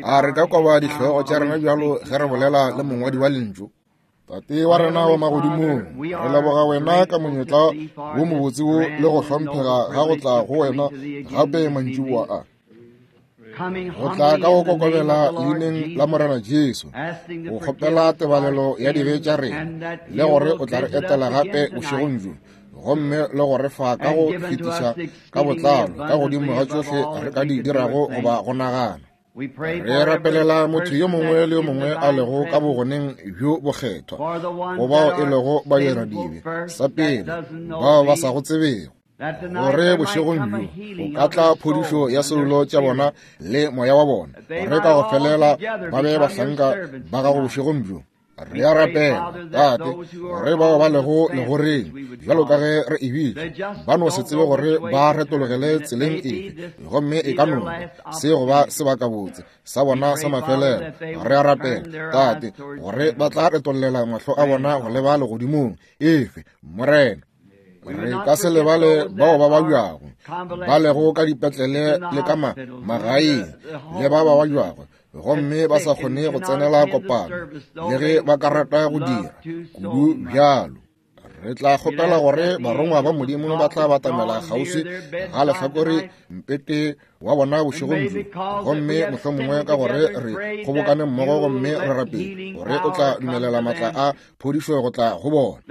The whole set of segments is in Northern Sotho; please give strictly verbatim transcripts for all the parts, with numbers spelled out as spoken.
A re ka koba dihlogo tša rena bjalo ge re bolela le mongwadi wa lentšu? Tate wa rena wa magodimong, re leboga wena ka monyetla wo mobotse wo le go hlomphega ga go tla go wena gape mantšiboa a. Go tla ka go kokobela leineng la Morena Jesu, go kgopela tebalelo ya dibe tša rena, le gore o tla re etela gape bošegong bjo, gomme le go re fa ka go fetiša ka botlalo ka godimo ga tšohle re ka di dirago goba go nagana. Re rapelela motho yo mongwe le yo mongwe a lego ka bogoneng bjo bokgethwa, go bao e lego badiradibe, sa pele bao ba sa go tsebego, gore bošegong bjo go ka tla phodišo ya soulo tša bona le moya wa bona, gore ka go felela ba be bahlanka ba gago bošegong bjo. Re a rapela, Tate, gore bao ba lego legoreng, bjalo ka ge re e bitša, ba no se tsebe gore ba retologele tseleng efe, gomme e ka no ba se go ba sebakabotse sa bona sa mafelelo. Re a rapela, Tate, gore ba tla retollela mahlo a bona go leba legodimong. Efe, Morena. Re ka se lebale bao ba babjago, ba lego ka dipetlele le ka magaeng, le ba ba babjago gomme ba sa kgone go tsenela kopano, le ge ba ka rata go dira kudu bjalo. Re tla kgopela gore barongwa ba Modimo ba tla batamela kgauswi ga lehlakore mpete wa bona bošegong bjo, gomme mohlomongwe ka gore re kgobokane mmogo gomme re rapele gore o tla dumelela matla a phodišo go tla go bona,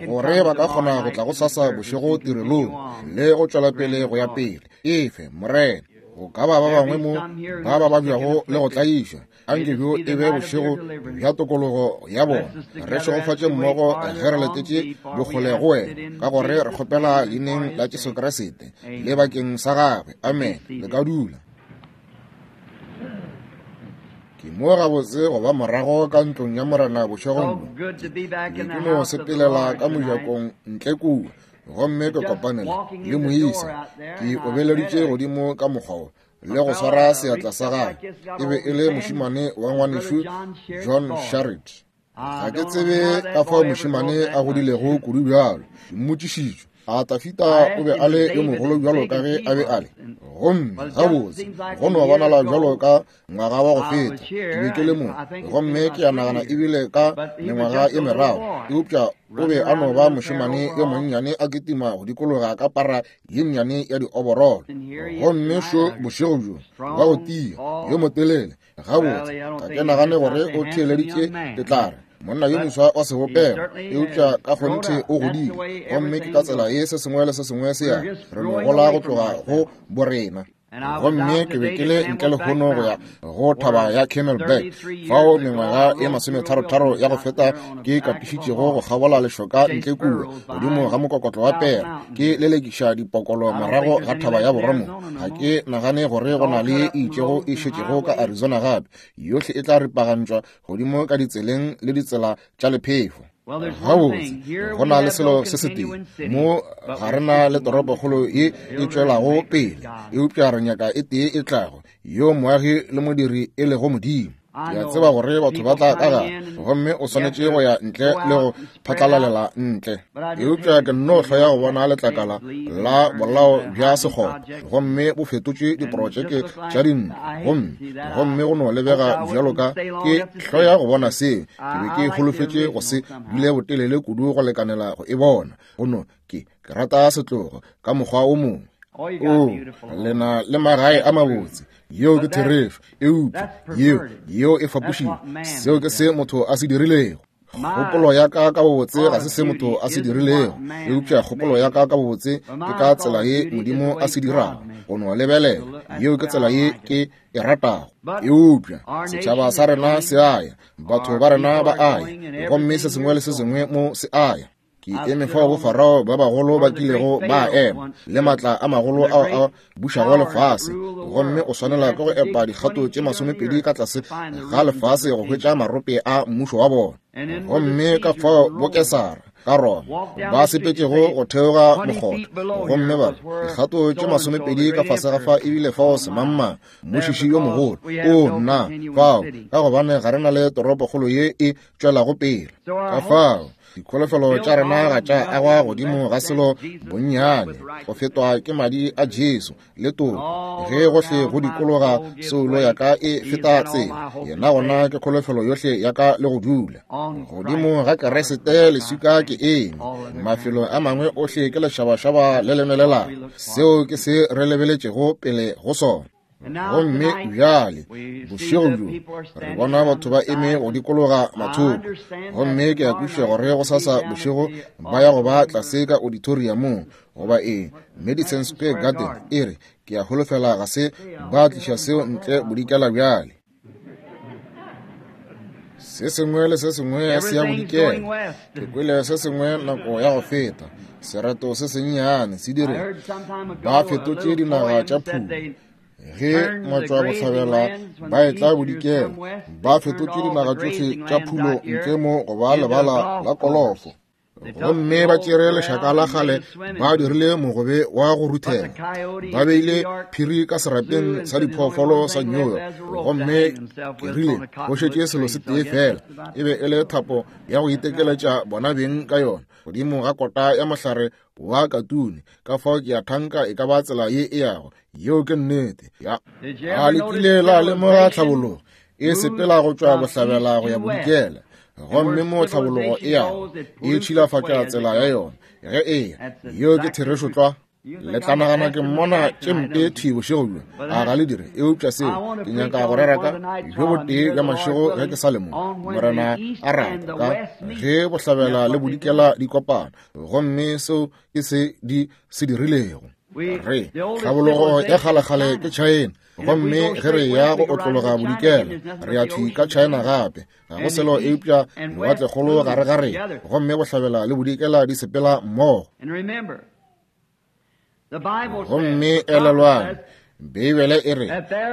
gore ba ka kgona go tla go sasa bošego tirelong le go tšwela pele go ya pele. Efe, Morena. Go ka ba ba bangwe mo ba ba babjago le go tlaišwa, anke bjo e be bošego bja tokologo ya bona. Re šegofatše mmogo ge re letetše bokgole go wena, ka gore re kgopela leineng la Jesu Kriste le bakeng sa gagwe. Amen. Le ka dula. Ke mo gabotse go ba morago ka ntlong ya Morena bošegong bjo. Ke ke no sepelela ka mojakong ntle kua, gomme ke kopanela le moisa. Ke obeleditše godimo ka mokgwa wo le go swara seatla sa gagwe. E be e le mošemane wa ngwanešu John Sharrit. Ga ke tsebe ka fao mošemane a godilego kudu bjalo. Ke mmotšišitšwe, a Tafita o be a le yo mogolo bjalo ka ge a be a le? Gomme gabotse go no bonala bjalo ka ngwaga wa go feta ke be ke le mo, gomme ke a nagana ebile ka mengwaga e meraro, eupša o be a no ba mošemane yo monnyane a kitima go dikologa ka para ye nnyane ya dioborolo. Gomme šo bošego bjo wa go tia yo motelele, gabotse ga ke nagane gore o theeleditše ke tla re monna yo moswa wa sebopego, eupša ka kgonthe o godile, gomme ke ka tsela ye se sengwe le se sengwe se ya re no gola go tloga go borena. Gomme ke be ke le ntle lehono go ya go thaba ya Camelback, fao mengwaga ye masometharotharo ya go feta ke katišitšego go kgabola lešoka ntle kua godimo ga mokokotlo wa pere, ke lelekiša dipokolo morago ga thaba ya Boromo. Ga ke nagane gore go na le e itšego e šetšego ka Arizona gape. Yohle e tla ripagantšwa godimo ka ditseleng le ditsela tša lephefo. Gabotse go na le selo se setee mo, ga re na le toropokgolo ye e tšwelago pele, eupša re nyaka e tee e tlago, yo moagi le modiri e lego Modimo. Ke a tseba gore batho ba tla ka gare, gomme o swanetše go ya ntle le go phatlalalela ntle, eupša ke nno hloya go bona letlakala la bolao bja sekgopo, gomme bo fetotše diprotšeke tša dintlo, gomme gomme go no lebega bjalo ka ke hloya go bona seo. Ke be ke holofetše go se dule botelele kudu go lekanela go e bona. Go no ke ke rata setlogo ka mokgwa o mongwe. O lena le magae a mabotse, yeo ke therešo, eupša yeo yeo e fapošile. Seo ke se motho a se dirilego. Kgopolo ya ka ka bobotse ga se se motho a se dirilego, eupša kgopolo ya ka ka bobotse ke ka tsela ye Modimo a se dirago. Go no lebelela, yeo ke tsela ye ke e ratago. Eupša setšhaba sa rena se a ya, batho ba rena ba a ya, gomme se sengwe le se sengwe mo se a ya. Ke eme fao bofarao ba bagolo ba kilego ba ema, le matla a magolo ao a bušago lefase, gomme o swanela ke go epa dikgato tše masomepedi ka tlase ga lefase go hwetša marope a mmušo wa bona. Gomme ka fao bokesara ka Roma ba sepetšego go theoga mokgotha, gomme ba dikgato tše masomepedi ka fase ga fa ebile fao semangmang mmušiši yo mogolo o nna fao, ka gobane ga re na le toropokgolo ye e tšwelago pele. Ka fao Dikholofelo tša rena ga tša agwa godimo ga selo bonnyane go fetwa ke madi a Jesu le toko. Ge gohle go dikologa soulo ya ka e feta tsela, yena gona ke kholofelo yohle ya ka le go dula. Godimo ga Keresete leswika ke eme, mafelo a mangwe ohle ke lešabašaba le lenelelago. Seo ke se re lebeletšego pele go sona. Gomme bjale bošego bjo re bona batho ba eme go dikologa mathoko, gomme ke a kwešiša gore go sasa bošego ba ya go ba tlase ka auditoriumong goba eng, Madison Square Garden. E re ke a holofela ga se ba tliša seo ntle bodikela bjale. Se sengwe le se sengwe se ya bodikela. Ke kwele se sengwe nako ya go feta, sereto se sennyane se dire ba fetotše dinaga tša phulo. Ge matšwa bohlabela ba etla bodikela, ba fetotše dinaga tšohle tša phulo ntle mo go ba lebala la kolofo. Gomme ba tšere lešaka la kgale ba dirile mogobe wa go ruthela, ba beile phiri ka serapeng sa diphoofolo sa New York. Gomme ke rile go šetše selo se tee fela, e be e le thapo ya go itekeletša bona beng ka yona godimo ga kota ya mohlare wa katune. Ka fao ke a thanka e ka ba tsela ye e yago. Yeo ke nnete. Ya a le kile la lemoga tlhabologo e sepela go tšwa bohlabela go ya bodikela, gomme mo tlhabologo e yago e tšhilafatša tsela ya yona ge e ya. Yeo ke therešo tlwa. Le tla nagana ke mmona tše mpe thwi bošego bjo, a ga le dire? Eupša seo ke nyaka go rera ka bjo botee bja mašego ge ke sa le mo, Morena a rata, ka ge bohlabela le bodikela di kopana, gomme seo ke se di se dirilego. Re tlhabologo ya kgalekgale ke China, gomme ge re ya go otlologa bodikela re ya thwi ka China gape. Ga go selo eupša lewatlekgolo gare ga rena, gomme bohlabela le bodikela di sepela mmogo. Gomme elelwang, Beibele e re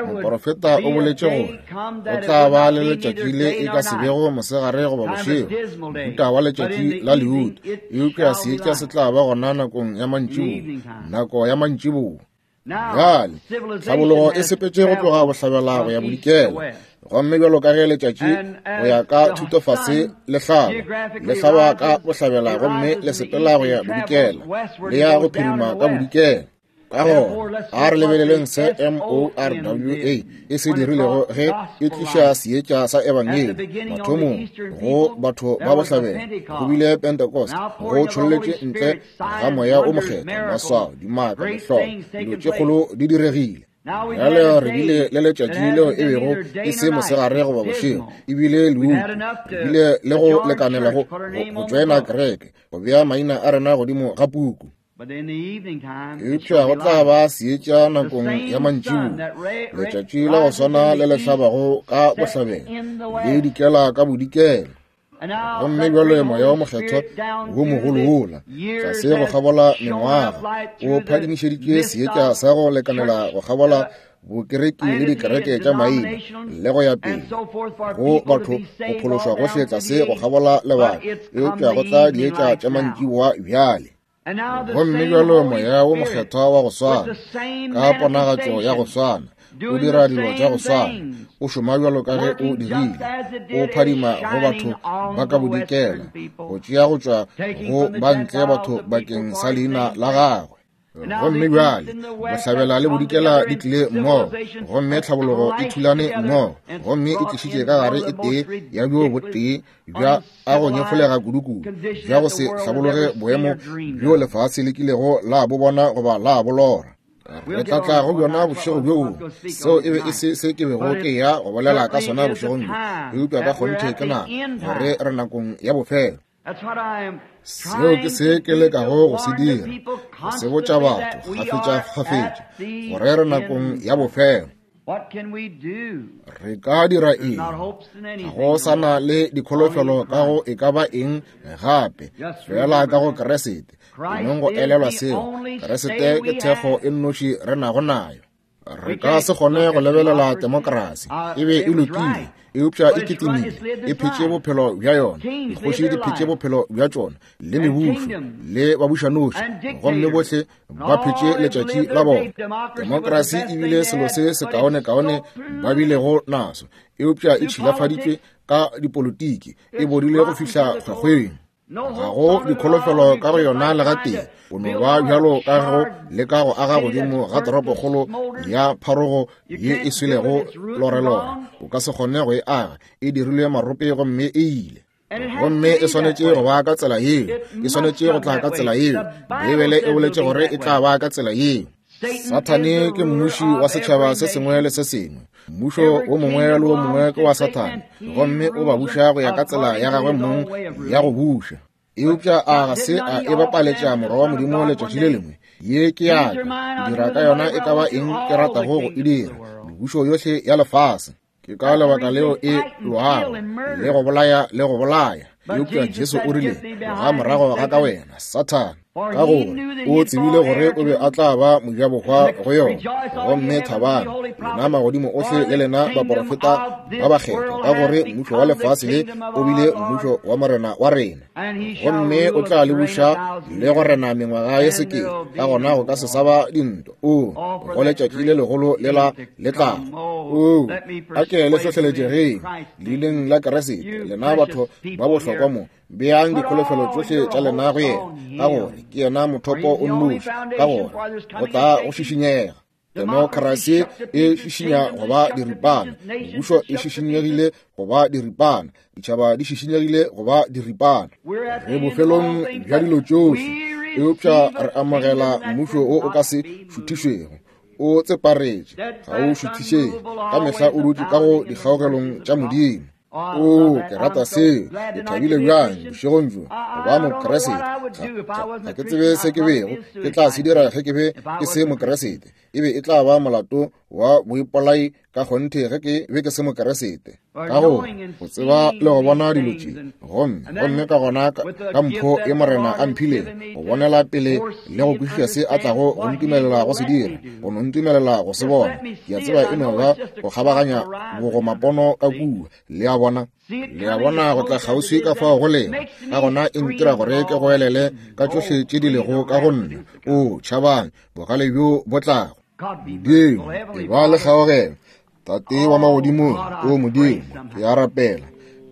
moporofeta o boletše gore go tla ba le letšatši le e ka se bego mosegare goba bošego, mohuta wa letšatši la leuto, eupša seetša se tla ba gona nakong ya mantšiboa, nako ya mantšiboa. Bjale tlhabologo e sepetše go tloga bohlabela go ya bodikela, gomme bjalo ka ge letšatši go ya ka thutofase le hlaba, le hlaba ka bohlabela gomme le sepela go ya bodikela, le ya go phirima ka bodikela. Ka gona a re lebeleleng se M O R W A e se dirilego ge e tliša seetša sa ebangedi mathomong go batho ba bohlabela. Go bile Pentecost, go tšholletše ntle ga moya o mokgethwa, maswao, dimaka, mehlolo, dilo tše kgolo di diregile. Bjale re bile le letšatši leo e bego e se mosegare goba bošego, e bile leuto. Re bile le go lekanela go go tšoena kereke, go bea maina a rena godimo ga puku. Eupša go tla ba seetša nakong ya mantšiboa, letšatši la go swana le le hlabago ka bohlabela le dikela ka bodikela. Gomme bjale moya wa mokgethwa wo mogolo wola tlase go kgabola mengwaga o phadimišeditše seetša sa go lekanela go kgabola bokereki le dikereke tša maina le go ya pele go batho go phološwa gohle tlase go kgabola lebaka, eupša go tla dietša tša mantšiboa bjale. Gomme bjalo moya wo mokgethwa wa go swana ka ponagatšo ya go swana o dira dilo tša go swana, o šoma bjalo ka ge o dirile, o phadima go batho ba ka bodikela, go tšea go tšwa go ba ntle batho bakeng sa leina la gagwe. Gomme bjale bohlabela le bodikela di tlile mmogo, gomme tlhabologo e thulane mmogo, gomme e tlišitše ka gare e tee ya bjo botee bja a go nyefolega kudukudu, bja go se hlabologe boemo bjo lefase le kilego la bo bona goba la bo lora. Re tla tla go bjona bošego bjo. Seo e be e se se ke bego ke ya go bolela ka sona bošegong bjo, eupša ka kgonthe ke nako gore re nakong ya bofelo. Seo ke se ke lekago go se dira, go se botša batho kgafetša-kgafetša gore re nakong ya bofelo. Re ka dira eng? Ga go sa na le dikholofelo ka go e ka ba eng gape, fela ka go Keresete. Enong go elelwa seo, Keresete ke thekgo e nnoši re nago nayo. Re ka se kgone go lebelela demokrasi, e be e lokile, eupša e kitimile, e phetše bophelo bja yona. Dikgoši di phetše bophelo bja tšona, le mebušo, le babušanoši, gomme bohle ba phetše letšatši la bona. Demokrasi e bile selo se sekaonekaone ba bilego naso, eupša e tšhilafaditšwe ka dipolitiki, e bodile go fihla kgwekgweng. Ga go dikholofelo ka go yona le gatee. O no ba bjalo ka go leka go aga godimo ga toropokgolo ya pharogo ye e swelego lorelore. O ka se kgone go e aga, e dirilwe marope gomme e ile. Gomme e swanetše go ba ka tsela yeo, e swanetše go tla ka tsela yeo. Beibele e boletše gore e tla ba ka tsela yeo. Sathane ke mmuši wa setšhaba se sengwe le se sengwe. Mmušo wo mongwe le wo mongwe ke wa Sathane, gomme o ba buša go ya ka tsela ya gagwe mong ya go buša. Eupša a ga se a e bapaletša morwa wa Modimo letšatši le lengwe. Ye ke ya ka, ke dira ka yona e ka ba eng ke ratago go e dira, mebušo yohle ya lefase. Ke ka lebaka leo e lwago le go bolaya le go bolaya. Eupša Jesu o rile, ga morago ga ka wena, Sathane, ka gore o tsebile gore o be a tla ba mojabohwa go yona. Gomme thabang, lena magodimo ohle le lena baporofeta ba bakgethwa, ka gore mmušo wa lefase le o bile mmušo wa Morena wa rena, gomme o tla le buša le go rena mengwaga ye sekete. Ka gona go ka se sa ba dintwa. O go letšatši le legolo le la le tlago. O a ke le hlohleletšegeng leineng la Keresete, lena batho ba bohlokwa mo. Beang dikholofelo tšohle tša lena go yena, ka gore ke yena mothopo o nnoši, ka gore go tla go šišinyega. Demokrasi e šišinya go ba diripana, mebušo e šišinyegile go ba diripana, ditšhaba di šišinyegile go ba diripana. Re bofelong bja dilo tšohle, eupša re amogela mmušo wo o ka se šuthišwego. O tseparetše, ga o šuthišege, ka mehla o dutše ka go dikgaogelong tša Modimo. O, ke rata seo. Ke thabile bjang bošegong bjo go ba Mokeresete. Ga ke tsebe se ke bego ke tla se dira ge ke be ke se Mokeresete. E be e tla ba molato wa boipolai ka kgonthe ge ke be ke se Mokeresete. Ka gore go tseba le go bona dilo tše, gomme gomme ka gona ka mpho ye Morena a mphilego, go bonela pele le go kwešiša se a tlago go ntumelela go se dira, go no ntumelela go se bona. Ke a tseba e no ba go kgabaganya bogomapono ka kua. Le a bona, le a bona go tla kgauswi ka fao go lego. Ka gona e ntira gore ke goelele ka tšohle tše di lego ka go nna. O tšhabang bogale bjo bo tlago. Modimo, e ba le kgaogelo. Tate wa magodimong, o Modimo, ke a rapela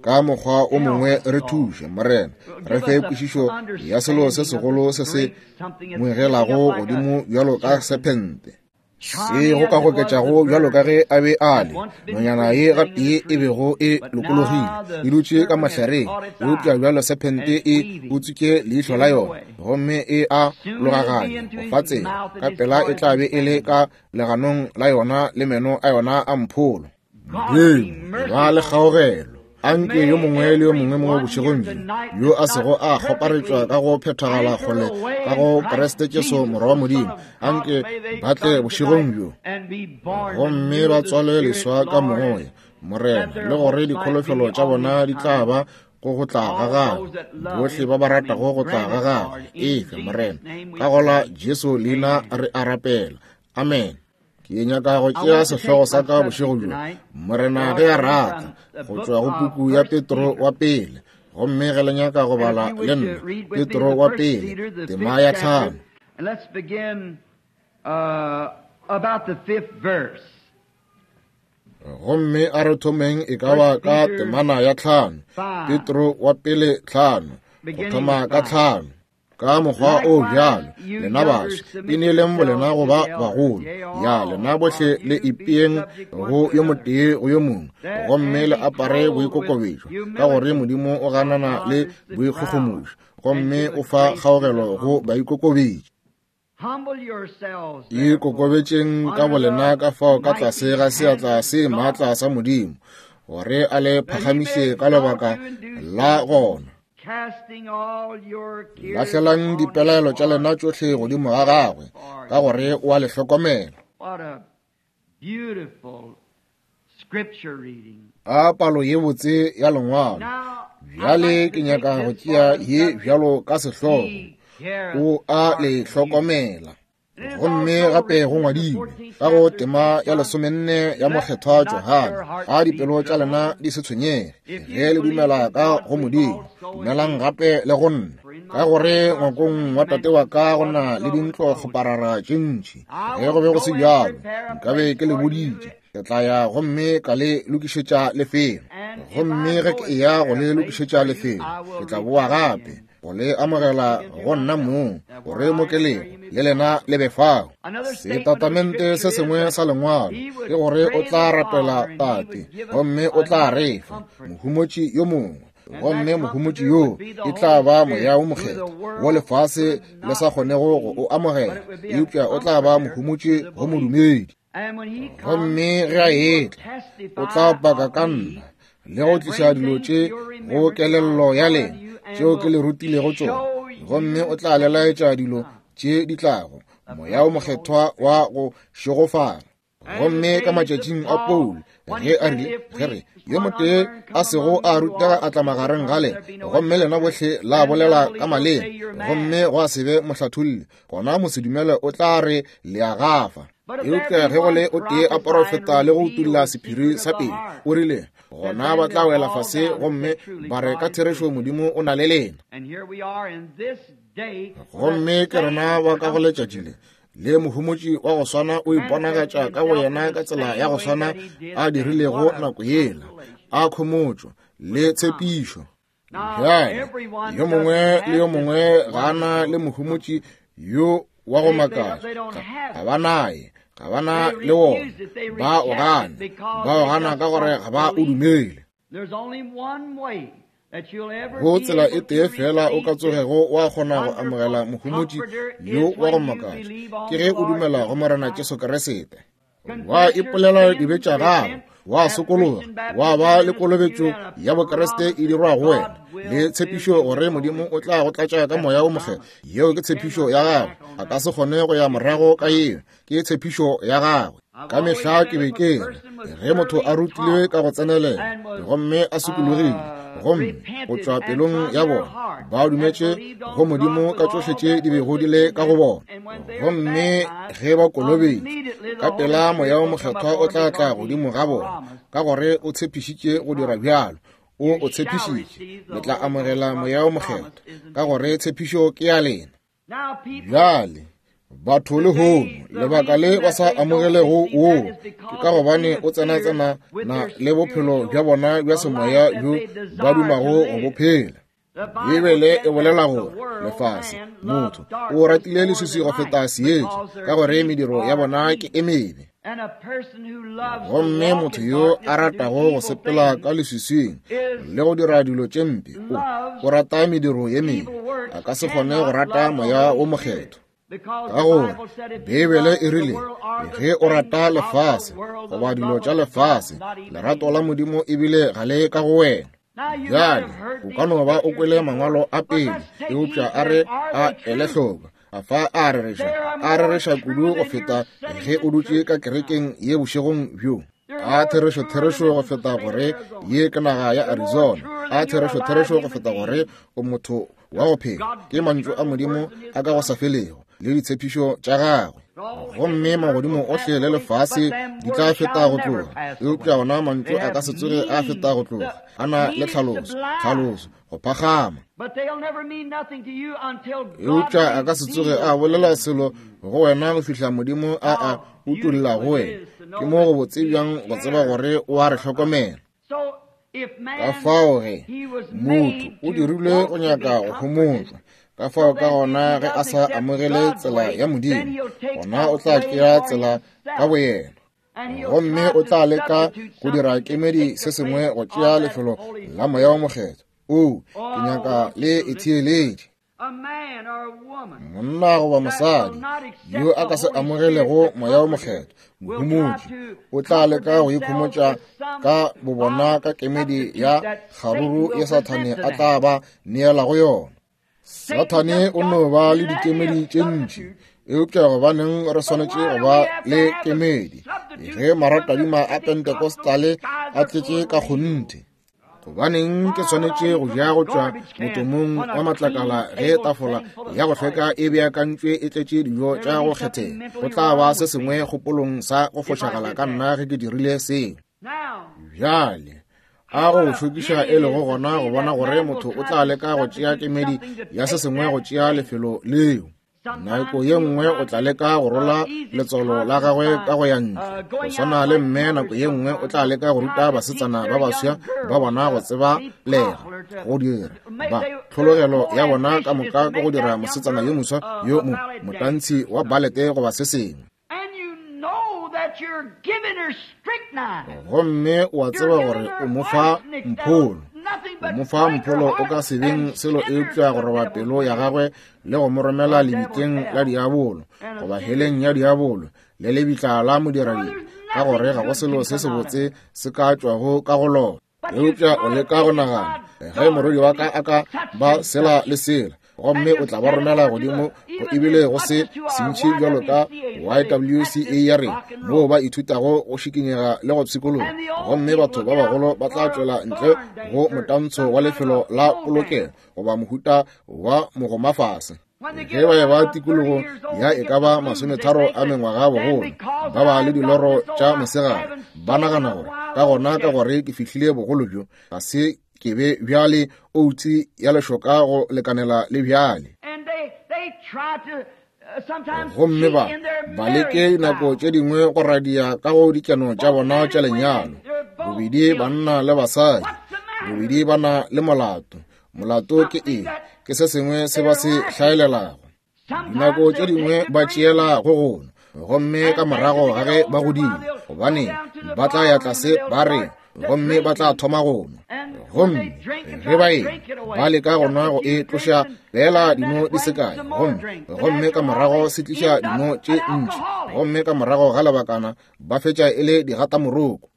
ka mokgwa o mongwe re thuše, Morena, re fe kwešišo ya selo se segolo se se ngwegelago godimo bjalo ka sephente, se go ka goketšago bjalo ka ge a be a le nonyana ye gatee e bego e lokologile e dutše ka mahlareng, eupša bjalo sephente e utswitše leihlo la yona gomme e a logaganya go fa tsela. Ka pela e tla be e le ka leganong la yona le meno a yona a mpholo. Modimo, ba le kgaogelo. Anke yo mongwe le yo mongwe mo bošegong bjo yo a sego a kgoparetšwa ka go phethagala kgole ka go Kriste Jesu morwa wa Modimo, anke ba tle bošegong bjo gomme ba tswalwe leswa ka moya, Morena, le gore dikholofelo tša bona di tla ba go go tla ga gagwe, bohle ba ba ratago go tla ga gagwe. Efe, Morena, ka gola Jesu leina re a rapela. Amen. Ke nyaka go tšea sehlogo sa ka bošego bjo, Morena ge a rata, go tšwa go puku ya Petro wa pele. Gomme ge le nyaka go bala le nna, Petro wa pele, tema ya tlhano. Gomme a re thomeng e ka ba ka temana ya tlhano, Petro wa pele tlhano, go thoma ka tlhano. Ka mokgwa o bjalo, lena baswa, ineeleng bolena go ba bagolo. Ya lena bohle le ipeeng go yo motee go yo mongwe, gomme le apare boikokobetšo, ka gore Modimo o ganana le boikgogomošo, gomme o fa kgaogelo go baikokobetši. Ikokobetšeng ka bolena ka fao ka tlase ga seatla se maatla sa Modimo, gore a le phagamiše ka lebaka la gona. Lahlelang dipelaelo tša lena tšohle godimo ga gagwe, ka gore o a le hlokomela. A palo ye botse ya lengwalo. Bjale ke nyaka go tšea ye bjalo ka sehlogo, o a le hlokomela. Gomme gape go ngwadilwe ka go tema ya lesomenne ya mokgethwa Johane, a dipelo tša lena di se tshwenyege ge le dumela ka go Modimo, dumelang gape le go nna. Ka gore ngwakong wa tate wa ka go na le dintlo kgoparara tše ntši. Ge go be go se bjalo, nkabe ke le boditše. Ke tla ya gomme ka le lokišetša lefelo. Gomme ge ke eya go le lokišetša lefelo, ke tla boa gape, go le amogela go nna mong, gore mo ke lego le lena le be fao. Setatamente se sengwe sa lengwalo ke gore o tla rapela Tate, gomme o tla re fa mohumotši yo mongwe, gomme mohumotši yo e tla ba Moya wo Mokgethwa, wo lefase le sa kgonego go o amogela, eupša o tla ba mohumotši go modumedi. Gomme ge a etla, o tla paka ka nna le go tliša dilo tše go kelello ya lena tšeo ke le rutilego tšona, gomme o tla le laetša dilo tše di tlago, Moya wo Mokgethwa wa go šegofala. Gomme ka matšatšing a Paulo, ge a rile, ge re yo motee a sego a rutega a tla magareng ga lena, gomme lena bohle la bolela ka maleme, gomme gwa se be mohlatholli, gona mosedumele o tla re le a gafa. Eupša ge go le o tee a porofeta le go utulla sephiri sa pelo, o rile, gona ba tla wela fase gomme ba re ka therešo Modimo o na le lena. Gomme ke rena ba ka go letšatši le, le mohumotši wa go swana o iponagatša ka go yena ka tsela ya go swana a dirilego nako yela, a khomotšo le tshepišo. Bjale yo mongwe le yo mongwe ga ana le mohumotši yo wa go makatša, ga ba naye, ga ba na le wona, ba o gana, ba o gana ka gore ga ba o dumele. Go tsela e tee fela o ka tsogego wa kgona go amogela mohumotši yo wa go makatša, ke ge o dumela go Morena Jesu Kriste, wa ipolela dibe tša gago, wa sokologa, wa ba le kolobetšo ya Bokriste e dirwa go wena, le tshepišo gore Modimo o tla go tlatša ka Moya wo Mokgethwa. Yeo ke tshepišo ya gagwe, a ka se kgone go ya morago ka yeo, ke tshepišo ya gagwe. Ka mehla ke be ke re, ge motho a rutilwe ka go tsenelela gomme a sokologile, gomme go tšwa pelong ya bona ba dumetše go Modimo ka tšohle tše di bego di le ka go bona, gomme ge ba kolobetšwe ka pela Moya wo Mokgethwa o tla tla godimo ga bona, ka gore o tshepišitše go dira bjalo. O o tshepišitše, le tla amogela Moya wo Mokgethwa, ka gore tshepišo ke ya lena. Bjale batho lehono, lebaka le ba sa amogelego woo ke ka gobane o tsena-tsena na le bophelo bja bona bja semoya bjo ba dumago go bo phela. Bibele e bolela gore lefase, motho o ratile leswiswi go feta seetša, ka gore mediro ya bona ke e mebe. Gomme motho yo a ratago go sepela ka leswiswing le go dira dilo tše mpe, o o rata mediro ye mebe, a ka se kgone go rata Moya wo Mokgethwa. Ka gore Bibele e rile, ge o rata lefase goba dilo tša lefase, lerato la Modimo ebile ga le ka go wena. Bjale o ka no ba o kwele mangwalo a pele, eupša a re a ele hloko, a fa a rereša, a rereša kudu go feta ge o dutše ka kerekeng ye bošegong bjo. A therešo therešo go feta gore ye ke naga ya Arizona. A therešo therešo go feta gore o motho wa go phela, ke mantšu a Modimo a ka go sa felego le ditshepišo tša gagwe. Gomme magodimo ohle le lefase di tla feta go tloga, eupša ona mantšu a ka se tsoge a feta go tloga. A na le tlhaloso, tlhaloso, go phagama. Eupša a ka se tsoge a bolela selo go wena go fihla Modimo a a utolla go wena. Ke mo go botse bjang go tseba gore o a re hlokomela. Ka fao ge motho o dirilwe go nyaka go homotšwa, ka fao ka gona ge a sa amogele tsela ya Modimo, gona o tla tšea tsela ka boyena, gomme o tla leka go dira kemedi se sengwe go tšea lefelo la Moya wo Mokgethwa. O, ke nyaka le e theeletše. Monna goba mosadi yo a ka se amogelego Moya wo Mokgethwa, mohumotši, o tla leka go ikhomotša ka bobona ka kemedi ya kgaruru ye Sathane a tla ba neela go yona. Sathane o no ba le dikemedi tše ntši, eupša gobaneng re swanetše go ba le kemedi ge maratadima a Pentecostale a tletše ka kgonthe? Gobaneng ke swanetše go ja go tšwa motomong wa matlakala ge tafola ya go hlweka e beakantšwe e tletše dijo tša go kgethega? Go tla ba se sengwe kgopolong sa go fošagala ka nna ge ke dirile seo. Bjale a go šokiša e lego gona go bona gore motho o tla leka go tšea kemedi ya se sengwe go tšea lefelo leo. Nako ye nngwe o tla leka go rola letswalo la gagwe ka go ya ntle. Go swana le mme nako ye nngwe o tla leka go ruta basetsana ba baswa ba bona go tseba lega go dira ba tlhologelo ya bona ka moka ke go dira mosetsana yo moswa yo mo motantshi wa balete goba se sengwe. Gomme o a tseba gore o mo fa mpholo. O mo fa mpholo o ka se beng selo eupša go roba pelo ya gagwe le go mo romela lebitleng la diabolo goba heleng ya diabolo le lebitla la modiradibe, ka gore ga go selo se sebotse se ka tšwago ka go lona. Eupša o leka go nagana, ge morwedi wa ka a ka ba sela le sela, gomme o tla ba romela godimo go ebile go se sentši bjalo ka Y W C A ya rena, moo ba ithutago go šikinyega le go pshikologa, gomme batho ba bagolo ba tla tšwela ntle go motantsho wa lefelo la polokelo goba mohuta wa mogomafase. Ge ba eba tikologo ya e ka ba masometharo a mengwaga bogolo, ba ba le diloro tša mosegare, ba nagana gore ka gona ka gore ke fihlile bogolo bjo, ga se ke be bjale outse ya lešoka go lekanela le bjale. Gomme ba ba leke nako tše dingwe go radia ka go dikeno tša bona tša lenyalo, bobedi banna le basadi, bobedi ba na le molato. Molato ke eng? Ke se sengwe se ba se hlaelelago. Dinako tše dingwe ba tšeela go gona, gomme ka morago ga ge ba godile, gobane ba tla ya tlase ba re, gomme ba tla thoma go nwa. Gomme ge ba e ba leka go nwa go e tloša fela dino di se kae, gomme gomme ka morago se tliša dino tše ntši, gomme ka morago ga lebakana ba fetša e le digatamoroko.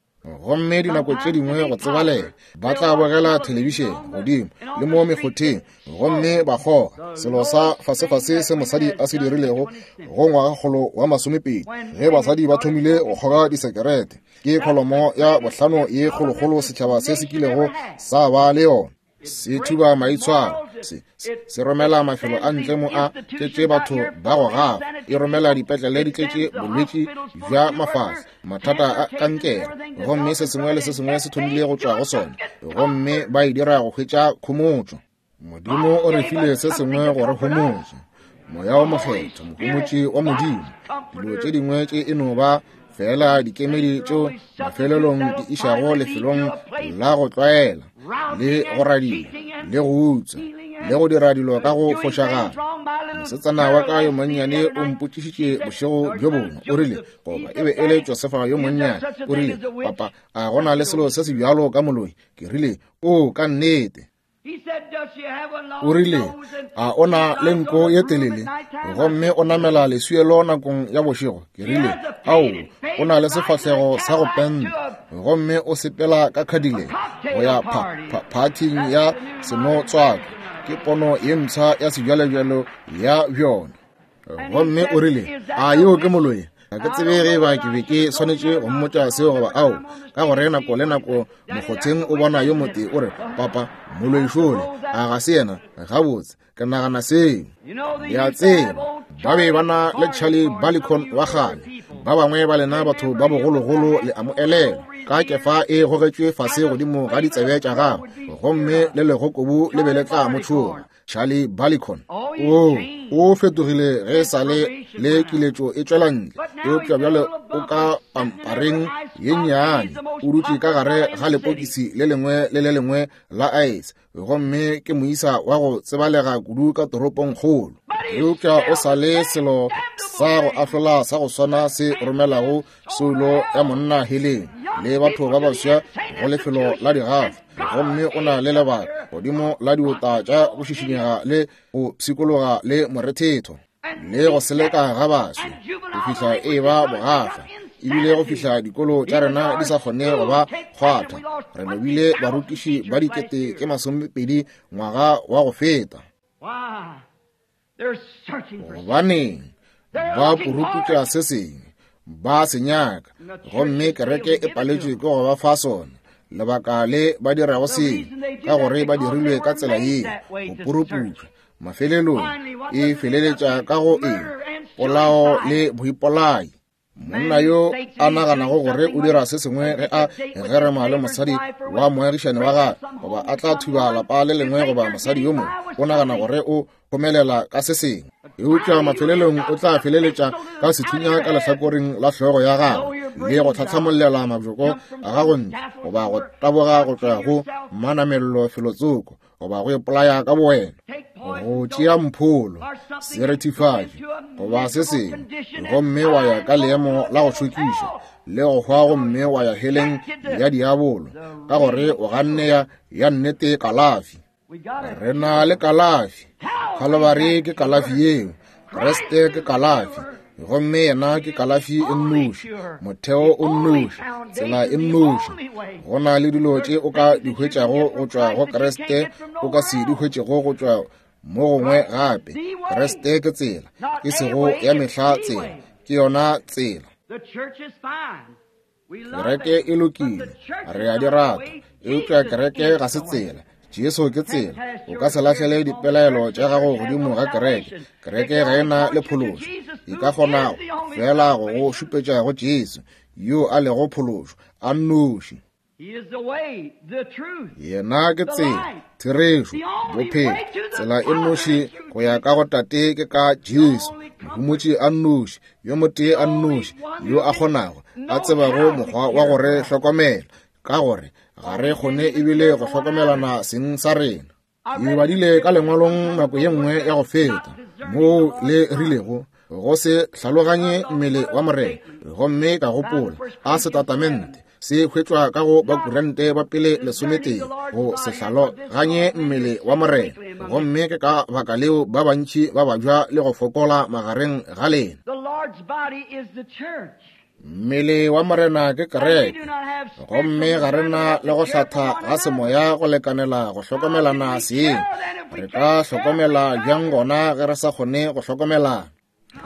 Gomme dinako tše dingwe go tsebalega ba tla bogela thelebišene godimo le mo mekgotheng, gomme ba kgoga selo sa fasefase se mosadi a se dirilego go ngwagakgolo wa masomepedi, ge basadi ba thomile go kgoga disekerete. Ke kholomo ya bohlano ye kgolokgolo setšhaba se se kilego sa ba le yona. Se thuba maitshwaro, se, se romela mafelo a ntle mo a tletše batho ba go gafa, e romela dipetlele di tletše bolwetši bja mafahla, mathata a kankere, gomme se sengwe le se sengwe se thomile go tšwa go sona, gomme ba e dira go hwetša khomotšo. Modimo o re file se sengwe go re homotša, Moya o Mokgethwa, mohomotši wa Modimo. Dilo tše dingwe tše e no ba fela dikemedi tšeo mafelelong di išago lefelong la go tlwaela le go radia le go utswa le go dira dilo ka go fošagala. Mosetsana wa ka yo monnyane o mpotšišitše bošego bjo bongwe, o rile, goba e be e le Josefa yo monnyane, o rile, papa, a go na le selo se se bjalo ka moloi? Ke rile, o ka nnete. O rile, a o na le nko ye telele gomme o namela leswielo nakong ya bošego? Ke rile, ao, o na le sefahlego sa go penta gomme o sepela ka Cadillac go ya phathing ya senotswako. Ke pono ye mpsha ya sejwalejwalo ya bjona. Gomme o rile, a yeo ke moloi? Ga ke tsebe ge ba ke be ke swanetše go mmotša seo goba ao, ka gore nako le nako mokgotheng o bona yo motee o re, papa, moloi šole, a ga se yena? Gabotse, ke nagana seo. Le a tseba, ba be ba na le Charlie Balicon wa kgale. Ba bangwe ba lena batho ba bogologolo le a mo elelwa, ka kefa e gogetšwe fase godimo ga ditsebe tša gagwe, gomme le legokobu le be le tla mo tšhoga. Charlie Balicon o o fetogile ge sa le le kiletšo e tšwela ntle, eupša bjale o ka pampareng ye nnyane, o dutše ka gare ga lepokisi le lengwe le le lengwe la ice, gomme ke moisa wa go tsebalega kudu ka toropong kgolo. Eupša o sa le selo sa go ahlola sa go swana se romelago soulo ya monna heleng le batho ba baswa go lefelo la digafa, gomme o na le lebaka godimo la diota tša go šišinyega le go pshikologa le morethetho le go seleka ga baswi go fihla e ba bogafa, ebile go fihla dikolo tša rena di sa kgone go ba kgwatha. Re lobile barutiši ba dikete tše masomepedi ngwaga wa go feta. Gobaneng ba puruputša se sengwe, ba se nyaka, gomme kereke e paletšwe ke go ba fa sona. Lebaka le ba dirago seo, ka gore ba dirilwe ka tsela yeo, go puruputša. Mafelelong e feleletša ka go eng? Polao le boipolai. Monna yo a naganago gore o dira se sengwe ge a gerema le mosadi wa moagišane wa gagwe, goba a tla thuba lapa le lengwe goba mosadi yo mongwe, o nagana gore o homelela ka se sengwe, eupša mafelelong o tla feleletša ka sethunya ka lehlakoreng la hlogo ya gagwe le go tlhatlhamollela mabjoko a gago ntle, goba go taboga go tšwa go manamello felotsoko, goba go ipolaya ka bowena, go tšea mpholo, serethifatši goba se sengwe, gomme wa ya ka leemo la go šokiša le go hwa, gomme wa ya heleng ya diabolo ka gore o ganne ya, ya nnete kalafi. Re na le kalafi. Khalibari ke kalafi yeo, Kriste ke kalafi, gomme yena ke kalafi e nnoši, motheo o nnoši, tsela e nnoši. Go na le dilo tše o ka di hwetšago go tšwa go Kriste o ka se di hwetšego go tšwa mo gongwe gape. Kriste ke tsela, e sego ya mehla tsela, ke yona tsela. Kereke e lokile, re a di rata, eupša kereke ga se tsela. Jesu ke tsela. O ka se lahlele dipelaelo tša gago godimo ga kereke. Kereke ga e na le phološo. E ka kgona fela go go šupetša go Jesu, yo a lego phološo a nnoši. Yena ke tsela, therešo, bophelo. Tsela e nnoši go ya ka go Tate ke ka Jesu, mohomotši a nnoši, yo motee a nnoši, yo a kgonago, a tsebago mokgwa wa go re hlokomela, ka gore ga re kgone ebile go hlokomelana seng sa rena. Ke badile ka lengwalong nako ye nngwe ya go feta, moo le rilego go se hlaloganye mmele wa Morena, gomme ka gopola a setatamente se hwetšwa ka go Bakorinte ba pele lesometee, go se hlaloganye mmele wa Morena, gomme ke ka baka leo ba bantši ba babja le go fokola magareng ga lena. Mmele wa Morena ke kereke, gomme ga re na le go hlatha ga semoya go lekanela go hlokomelana seng. Re ka hlokomela bjang gona ge re sa kgone go hlokomelana?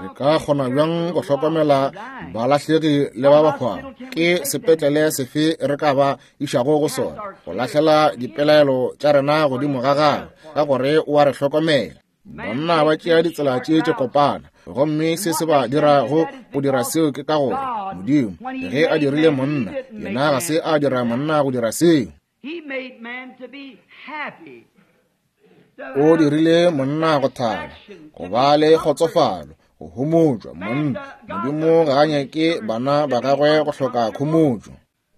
Re ka kgona bjang go hlokomela balahlegi le ba ba hwago? Ke sepetlele sefe re ka ba išago go sona go lahlela dipelaelo tša rena godimo ga gagwe, ka gore o a re hlokomela? Banna ba tšea ditsela tše tše kopana, gomme se se ba dirago go dira seo ke ka gore Modimo ge a dirile monna, yena ga se a dira monna go dira seo. O dirile monna go thaba, go ba le kgotsofalo, go homotšwa. Monna, Modimo ga a nyake bana ba gagwe go hloka khomotšo.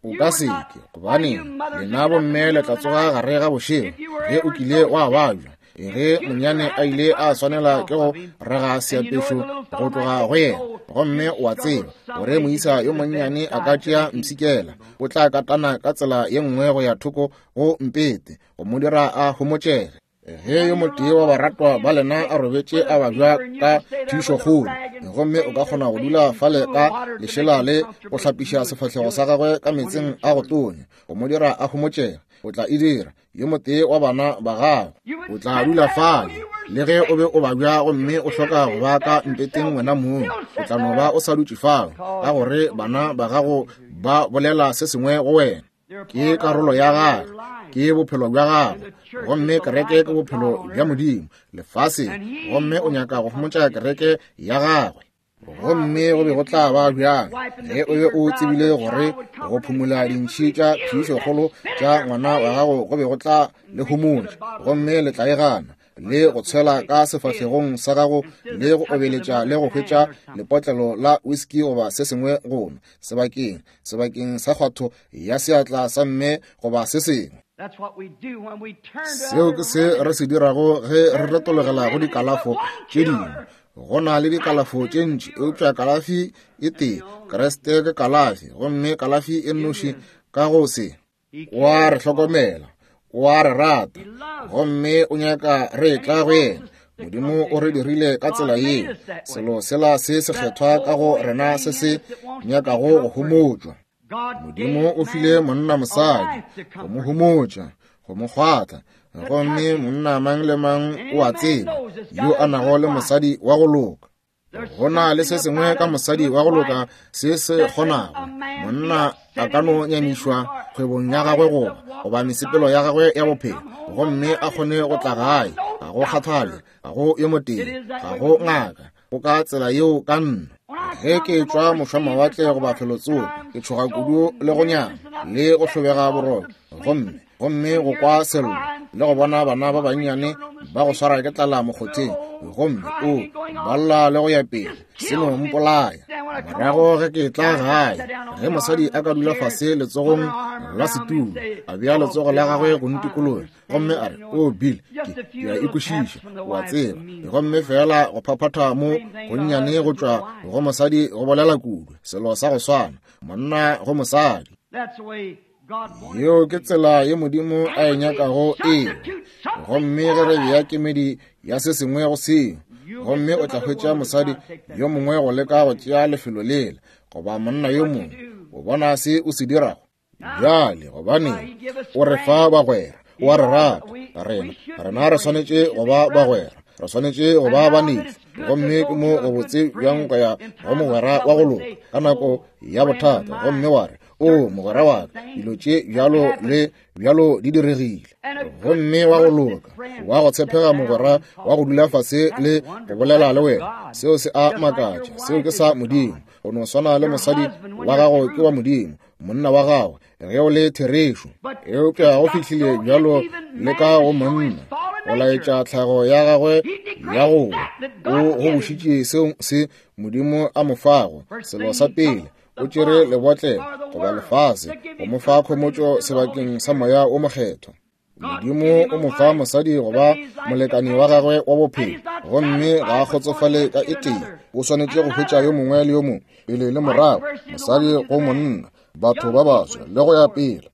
O ka seke, gobane lena bomme le tla tsoga gare ga bošego ge o kile wa babja, ge monyane a ile a swanela ke go rega seapešo go tloga go yena, gomme o a tseba gore moisa yo monnyane a ka tšea mpshikela, o tla katana ka tsela ye nngwe go ya thoko go mpete go mo dira a homotšege. Ge yo motee wa baratwa ba lena a robetše a babja ka phišokgolo, gomme o ka kgona go dula fale ka lešela le go hlapiša sefahlego sa gagwe ka meetseng a go tonya go mo dira a homotšege, o tla e dira. Yo motee wa bana ba gago o tla dula fale le ge o be o babja gomme o hloka go ba ka mpeteng wena mong, o tla no ba o sa dutše fao, ka gore bana ba gago ba bolela se sengwe go wena. Ke karolo ya gagwe, ke bophelo bja gagwe, gomme kereke ke bophelo bja Modimo lefaseng, gomme o nyaka go homotša kereke ya gagwe. Gomme go be go tla ba bjang ge o be o tsebile gore go phumula dintšhi tša phišokgolo tša ngwana wa gago go be go tla le homotša, gomme le tla e gana le go tshwela ka sefahlegong sa gago le go obeletša le go hwetša lepotlelo la whisky goba se sengwe go nwa sebakeng sebakeng sa kgwatho ya seatla sa mme goba se sengwe. Seo ke se re se dirago ge re retologela go dikalafo tše dingwe. Go na le dikalafo tše ntši, eupša kalafi e tee, Kriste ke kalafi, gomme kalafi e nnoši ka go se. O a re hlokomela, o a re rata, gomme o nyaka re tla go yena. Modimo o re dirile ka tsela yeo, selo sela se sekgethwa ka go rena se se nyakago go homotšwa. Modimo o file monna mosadi go mo homotša, go mo kgwatla, gomme monna mang le mang o a tseba yo a nago le mosadi wa go loka. Go na le se sengwe ka mosadi wa go loka se se kgonago. Monna a ka no nyamišwa kgwebong ya gagwe goba goba mesepelo ya gagwe ya bophelo, gomme a kgone go tla gae, ga go kgathale, ga go yo motee, ga go ngaka, go ka tsela yeo ka nna. Ge ke tšwa mošwamawatle goba felotsoko, ke tšhoga kudu le go nyama le go hlobega boroko, gomme gomme go kwa sello le go bona bana ba bannyane ba go swara ke tlala mokgotheng, gomme o ba lla le go ya pele, se no mpolaya. Morago ge ke tla gae, ge mosadi a ka dula fase letsogong la setulo, a bea letsogo la gagwe go ntikologa, gomme a re, o Bill, ke ke a ikwešiša, o a tseba. Gomme fela go phaphatha mo gonnyane go tšwa go mosadi go bolela kudu, selo sa go swana, monna go mosadi. Yeo ke tsela ye Modimo a e nyakago eo. Gomme ge re bea kemedi ya se sengwe go seo, gomme o tla hwetša mosadi yo mongwe go leka go tšea lefelo lela, goba monna yo mongwe, o bona se o se dirago. Bjale, gobane o re fa bagwera, o a re rata, rena rena re swanetše go ba bagwera, re swanetše go ba banešu. Gomme ke mo go botse bjang go ya go mogwera wa go loka ka nako ya bothata, gomme wa re, o mogwera wa ka, dilo tše bjalo le bjalo di diregile. Gomme wa go loka, wa go tshepega mogwera wa go dula fase le go bolela le wena, seo se a makatša. Seo ke sa Modimo. Go no swana le mosadi wa gago ke wa Modimo, monna wa gago ge o le therešo. Eupša go fihlile bjalo le ka go monna, go laetša tlhago ya gagwe ya go o go bošitše seo se Modimo a mo fago. Selo sa pele, o tšere lebotlelo goba lefase go mo fa khomotšo sebakeng sa moya o mokgethwa. Modimo o mo fa mosadi goba molekani wa gagwe wa bophelo, gomme ga a kgotsofale ka e tee. O swanetše go hwetša yo mongwe le yo mongwe, pele le morago, mosadi go monna, batho ba baswa le go ya pele.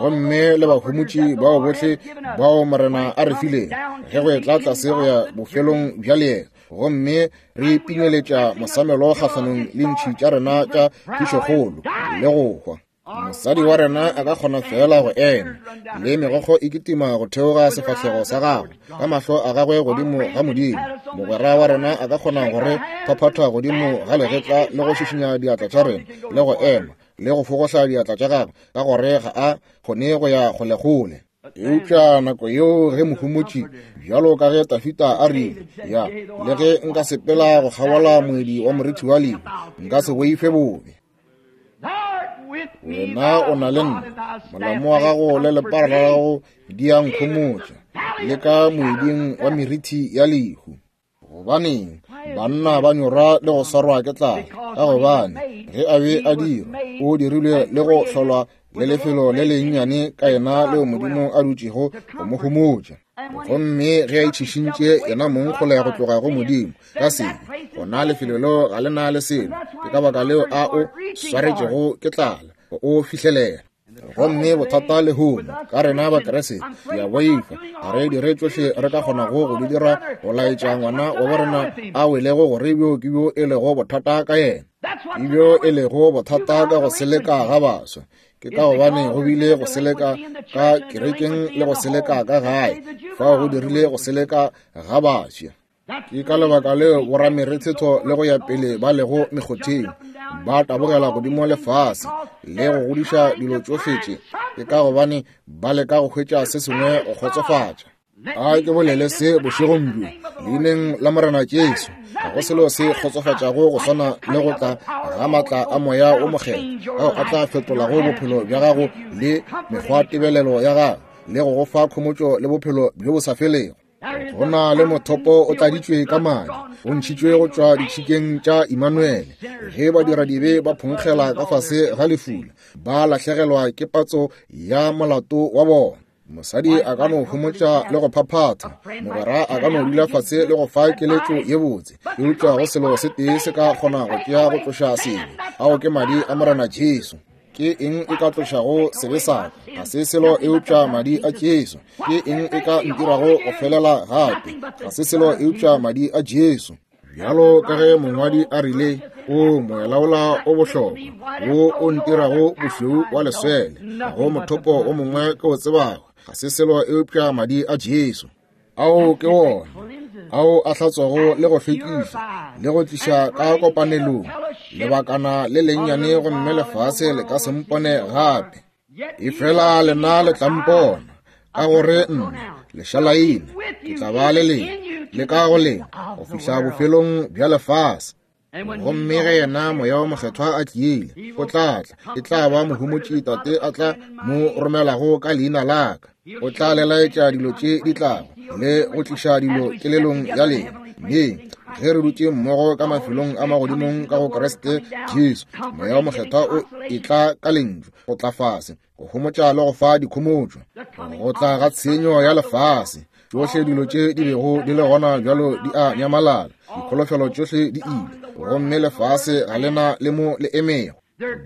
Gomme le bahomotši bao bohle bao Morena a re fileng, ge go etla tlase go ya bofelong bja leeto, gomme re pinyeletša mosamelo kgahlanong le ntšhi tša rena tša phišokgolo le go hwa. Mosadi wa rena a ka kgona fela go ema, le megokgo e kitima go theoga sefahlego sa gagwe, ka mahlo a gagwe godimo ga Modimo. Mogwera wa rena a ka kgona go re phaphatha godimo ga legetla le go šišinya diatla tša rena, le go ema le go fogohla diatla tša gagwe, ka gore ga a kgone go ya kgolekgole. Eupša nako yeo ge mohomotši, bjalo ka ge Tafita a rile, ya, le ge nka sepela go kgabola moedi wa morithi wa lehu, nka se boife bobe. Wena o na le nna, molamo wa gago le lepara la gago di a nkhomotša, le ka moeding wa merithi ya lehu. Gobaneng banna ba nyorwa le go swarwa ke tlala? Ka gobane ge a be a dirwa, o dirilwe le go hlolwa le lefelo le lennyane ka yena leo Modimo a dutšego go mo homotša. Gomme ge a itšhišintše yena mong kgole go tloga go Modimo ka sebe, gona lefelo leo ga le na le selo. Ke ka baka leo a o swaretšego ke tlala, o fihlelela. Gomme bothata lehono ka rena Bakeresete, ke a boifa ga re dire tšohle re ka kgonago go di dira go laetša ngwana wa borena a welego gore bjo ke bjo e lego bothata ka yena, ke bjo e lego bothata ka go seleka ga baswa. Ke ka gobane go bile go seleka ka kerekeng le go seleka ka gae, fao go dirile go seleka ga baswa. Ke ka lebaka leo boramerethetho le go ya pele ba lego mekgotheng, ba tabogela godimo lefase le go godiša dilo tšohle tše. Ke ka gobane ba leka go hwetša se sengwe go kgotsofatša. A ke bolele se bošegong bjo leineng la Morena Jesu, ga go selo se kgotsofatšago go swana le go tla ga maatla a moya o mokgethwa, ao a tla fetolago bophelo bja gago le mekgwatebelelo ya gago, le go go fa khomotšo le bophelo bjo bo sa felego. Go na le mothopo o tladitšwe ka madi, o ntšhitšwe go tšwa ditšhikeng tša Immanuele. Ge badiradibe ba phonkgela ka fase ga lefula, ba lahlegelwa ke patso ya molato wa bona. Mosadi a ka no homotša le go phaphatha, mogwera a ka no dula fase le go fa keletšo ye botse, eupša go selo se tee se ka kgona go tšea go tloša sebe, ao ke madi a Morena Jesu. Ke eng e ka tlošago sebe sa ka? Ga se selo eupša madi a Jesu. Ke eng e ka ntirago go felela gape? Ga se selo eupša madi a Jesu. Bjalo ka ge mongwadi a rile, o moelaola o bohlokwa wo o ntirago bošweu wa leswele, ga go mothopo o mongwe ke o tsebago, ga se selo eupša madi a Jesu. Ao ke wona ao a hlatswago le go hlwekiša le go tliša ka kopanelong lebakana le lennyane, gomme lefase le ka se mpone gape. Efela lena le tla mpona, ka gore nna lešalaina ke tla ba le lena le ka go lena go fihla bofelong bja lefase. Gomme ge yena Moya wo Mokgethwa a tlile, o tla tla, e tla ba mohomotši Tate a tla mo romelago ka leina la ka. O tla le laetša dilo tše di tlago le go tliša dilo kelelong ya lena. Mme ge re dutše mmogo ka mafelong a magodimong ka go Kriste Jesu, Moya wo Mokgethwa o etla ka lentšu go tla fase, go homotša le go fa dikhomotšo. Go tla ga tshenyo ya lefase, tšohle dilo tše di bego di le gona bjalo di a nyamalala, dikholofelo tšohle di ile, gomme lefase ga lena le mo le emego.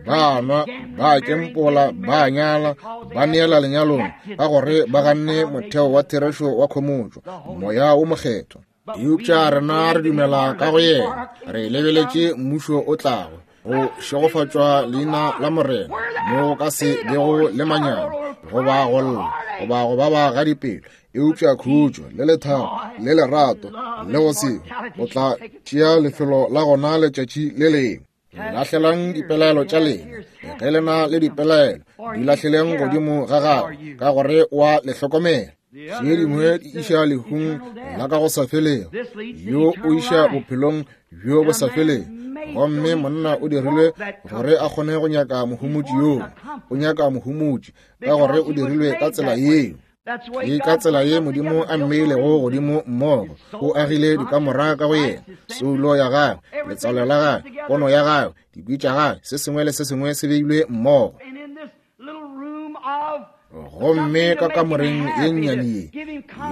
Ba nwa, ba kempola, ba nyala, ba neela lenyalong, ka gore ba ganne motheo wa therešo wa khomotšo, Moya wo Mokgethwa. Eupša rena re dumela ka go yena, re lebeletše mmušo o tlago, go šegofatšwa leina la Morena, mo go ka se bego le manyami, goba go lla, goba go baba ga dipelo, eupša khutšo le lethabo le lerato le go se go tla tšea lefelo la gona letšatši le lengwe. Lahlelang dipelaelo tša lena, ge le na le dipelaelo di lahleleng godimo ga gagwe, ka gore wa le hlokomela. Tše dingwe di iša lehung la ka go sa felego, yo o iša bophelong bjo bo sa felego. Gomme monna o dirilwe gore a kgone go nyaka mohomotši yoo, o nyaka mohomotši ka gore o dirilwe ka tsela yeo. Ke ka tsela ye Modimo a mmeilego godimo mmogo, o agile dikamora ka go yena, soulo ya gagwe, letswalo la gagwe, pono ya gagwe, dikwi tša gagwe, se sengwe le se sengwe se beilwe mmogo. Gomme ka kamoreng ye nnyane ye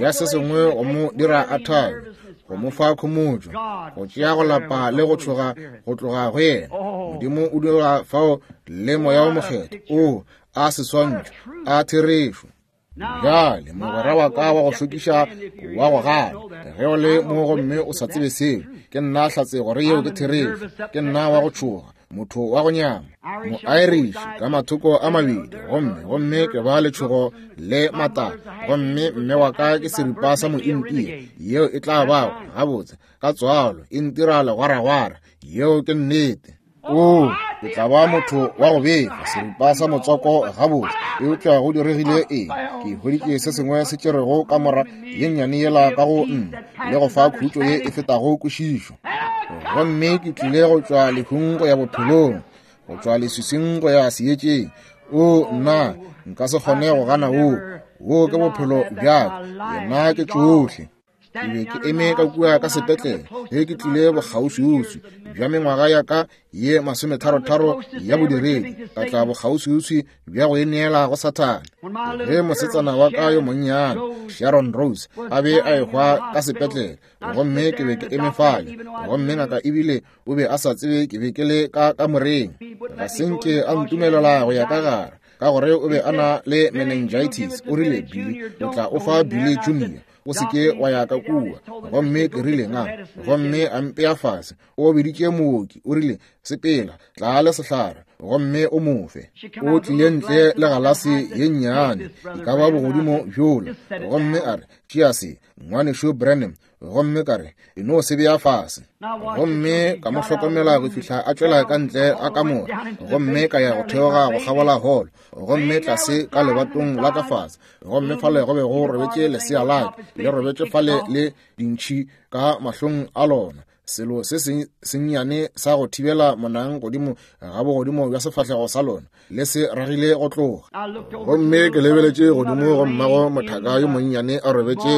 ya se sengwe go mo dira a thabe, go mo fa khomotšo, go tšea go lapa le go tšhoga go tloga go yena, Modimo o dira fao le Moya wo Mokgethwa o a seswantšho a therešo. Bjale mogwera wa ka wa go šokiša wa go gana, ge o le mo gomme o sa tsebe seo, ke nna hlatse gore yeo ke therešo. Ke nna wa go tšhoga, motho wa go nyama, mo-Irish ka mathoko a mabedi, gomme gomme ke ba letšhogo le matala, gomme mme wa ka ke seripa sa mo-India, yeo e tla bago gabotse ka tswalo e ntira legwaragwara. Yeo ke nnete. O, ke tla ba motho wa go befa, seripa sa motswako gabotse, eupša go diregile eng? Ke hweditše se sengwe se tšerego kamora ye nnyane yela ka go nna le go fa khutšo ye e fetago kwešišo. Gomme ke tlile go tšwa lehung go ya bophelong, go tšwa leswiswing go ya seetšeng. O nna, nka se kgone go gana woo. Woo ke bophelo bja ka, yena ke tšohle. Ke be ke eme ka kua ka sepetlele ge ke tlile bokgauswiuswi bja mengwaga ya ka ye masometharotharo ya bodiredi, ka tla bokgauswiuswi bja go e neela go Sathane. Ge mosetsana wa ka yo monnyane Sharon Rose a be a ehwa ka sepetlele, gomme ke be ke eme fale, gomme ngaka ebile o be a sa tsebe ke be ke le ka kamoreng. Ga se nke a ntumelela go ya ka gare, ka gore o be a na le meningitis. O rile, Billy, o tla o fa Billy Junior, o se ke wa ya ka kua. Gomme ke rile nga, gomme a mpea fase. O biditše mooki, o rile, sepela, tla le sehlare, gomme o mo fe. O tlile ntle le galase ye nnyane, e ka ba bogodimo bjola, gomme a re, tšea se, ngwanešo Branham. Gomme ka re, e no se bea fase. Gomme ka mo hlokomela go fihla a tšwela ka ntle ga kamora, gomme ka ya go theoga go kgabola holo, gomme tlase ka lebatong la ka fase, gomme fale go be go robetše lesea la ka, le robetše fale le dintšhi ka mahlong a lona, selo se sennyane sa go thibela monang godimo ga bogodimo bja sefahlego sa lona, le se ragile go tloga. Gomme ke lebeletše godimo go mmago mothaka yo monnyane a robetše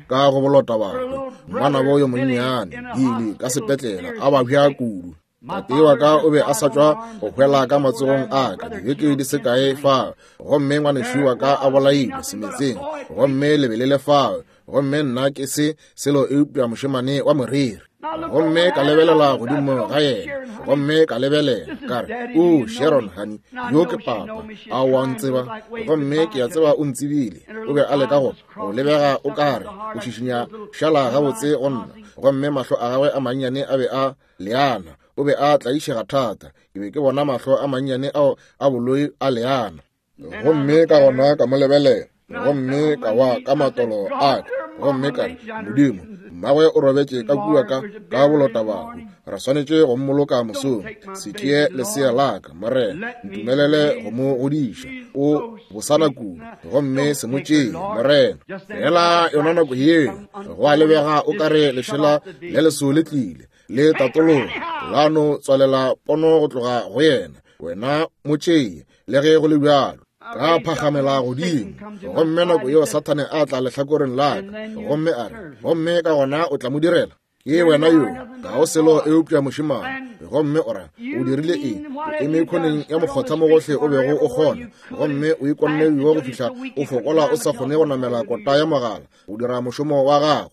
ka go bolota batho, ngwanabo yo monnyane Billy ka sepetlele a babja kudu. Tate wa ka o be a sa tšwa go hwela ka matsogong a ka dibeke di se kae fao, gomme ngwanešu wa ka a bolailwe semetseng, gomme le be le le fao, gomme nna ke se selo eupša mošemane wa moriri. Gomme ka lebelela godimo ga yena, gomme ka lebelela ka re, o Sharon honey, yo ke papa, a wa ntseba? Gomme ke a tseba o ntsebile. O be a leka go go lebega o kare o šišinya šala gabotse go nna, gomme mahlo a gagwe a mannyane a be a leana. O be a tlaišega thata. Ke be ke bona mahlo a mannyane ao a boloi a leana. Gomme ka gona ka mo lebelela, gomme ka wa ka matolo a ka, gomme ka re, Modimo, mmagwe o robetše ka kua ka ka bolota bahu, re swanetše go mmoloka mosong. Se tšee lesea la ka, Morena, ntumelele go mo godiša. O bosana kudu, gomme se mo tšee, Morena. Fela yona nako yeo go a lebega o kare lešela le leso le tlile, Le tatologa, la no tswalela pono go tloga go yena. Wena mo tšee, le ge go le bjalo. Ka phagamela godimo, gomme nako yeo Sathane a tla lehlakoreng la ka, gomme a re, gomme ka gona o tla mo direla. Ke wena yo, ga o selo eupša mošemane. Gomme o ra, o dirile eng? O eme khoneng ya mokgotha mo gohle o bego o kgona, gomme o ikonne yo go fihla o fokola o sa kgone go namela kota ya mogala, o dira mošomo wa gago.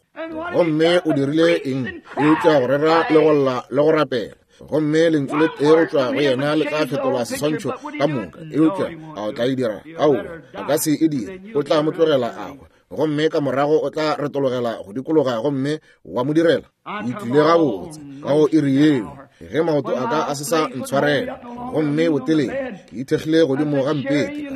Gomme o dirile eng? Eupša go rera le go lla le go rapela. Gomme lentšu le tee go tšwa go yena le tla fetola seswantšho ka moka. Eupša a o tla e dira? Aowa, a ka se e dire. O tla mo tlogela a hwa, gomme ka morago o tla retologela go dikologa gomme wa mo direla. Ke tlile gabotse ka go iri yeo, ge maoto a ka a se sa ntshwarela, gomme botelele ke ithekgile godimo ga mpete.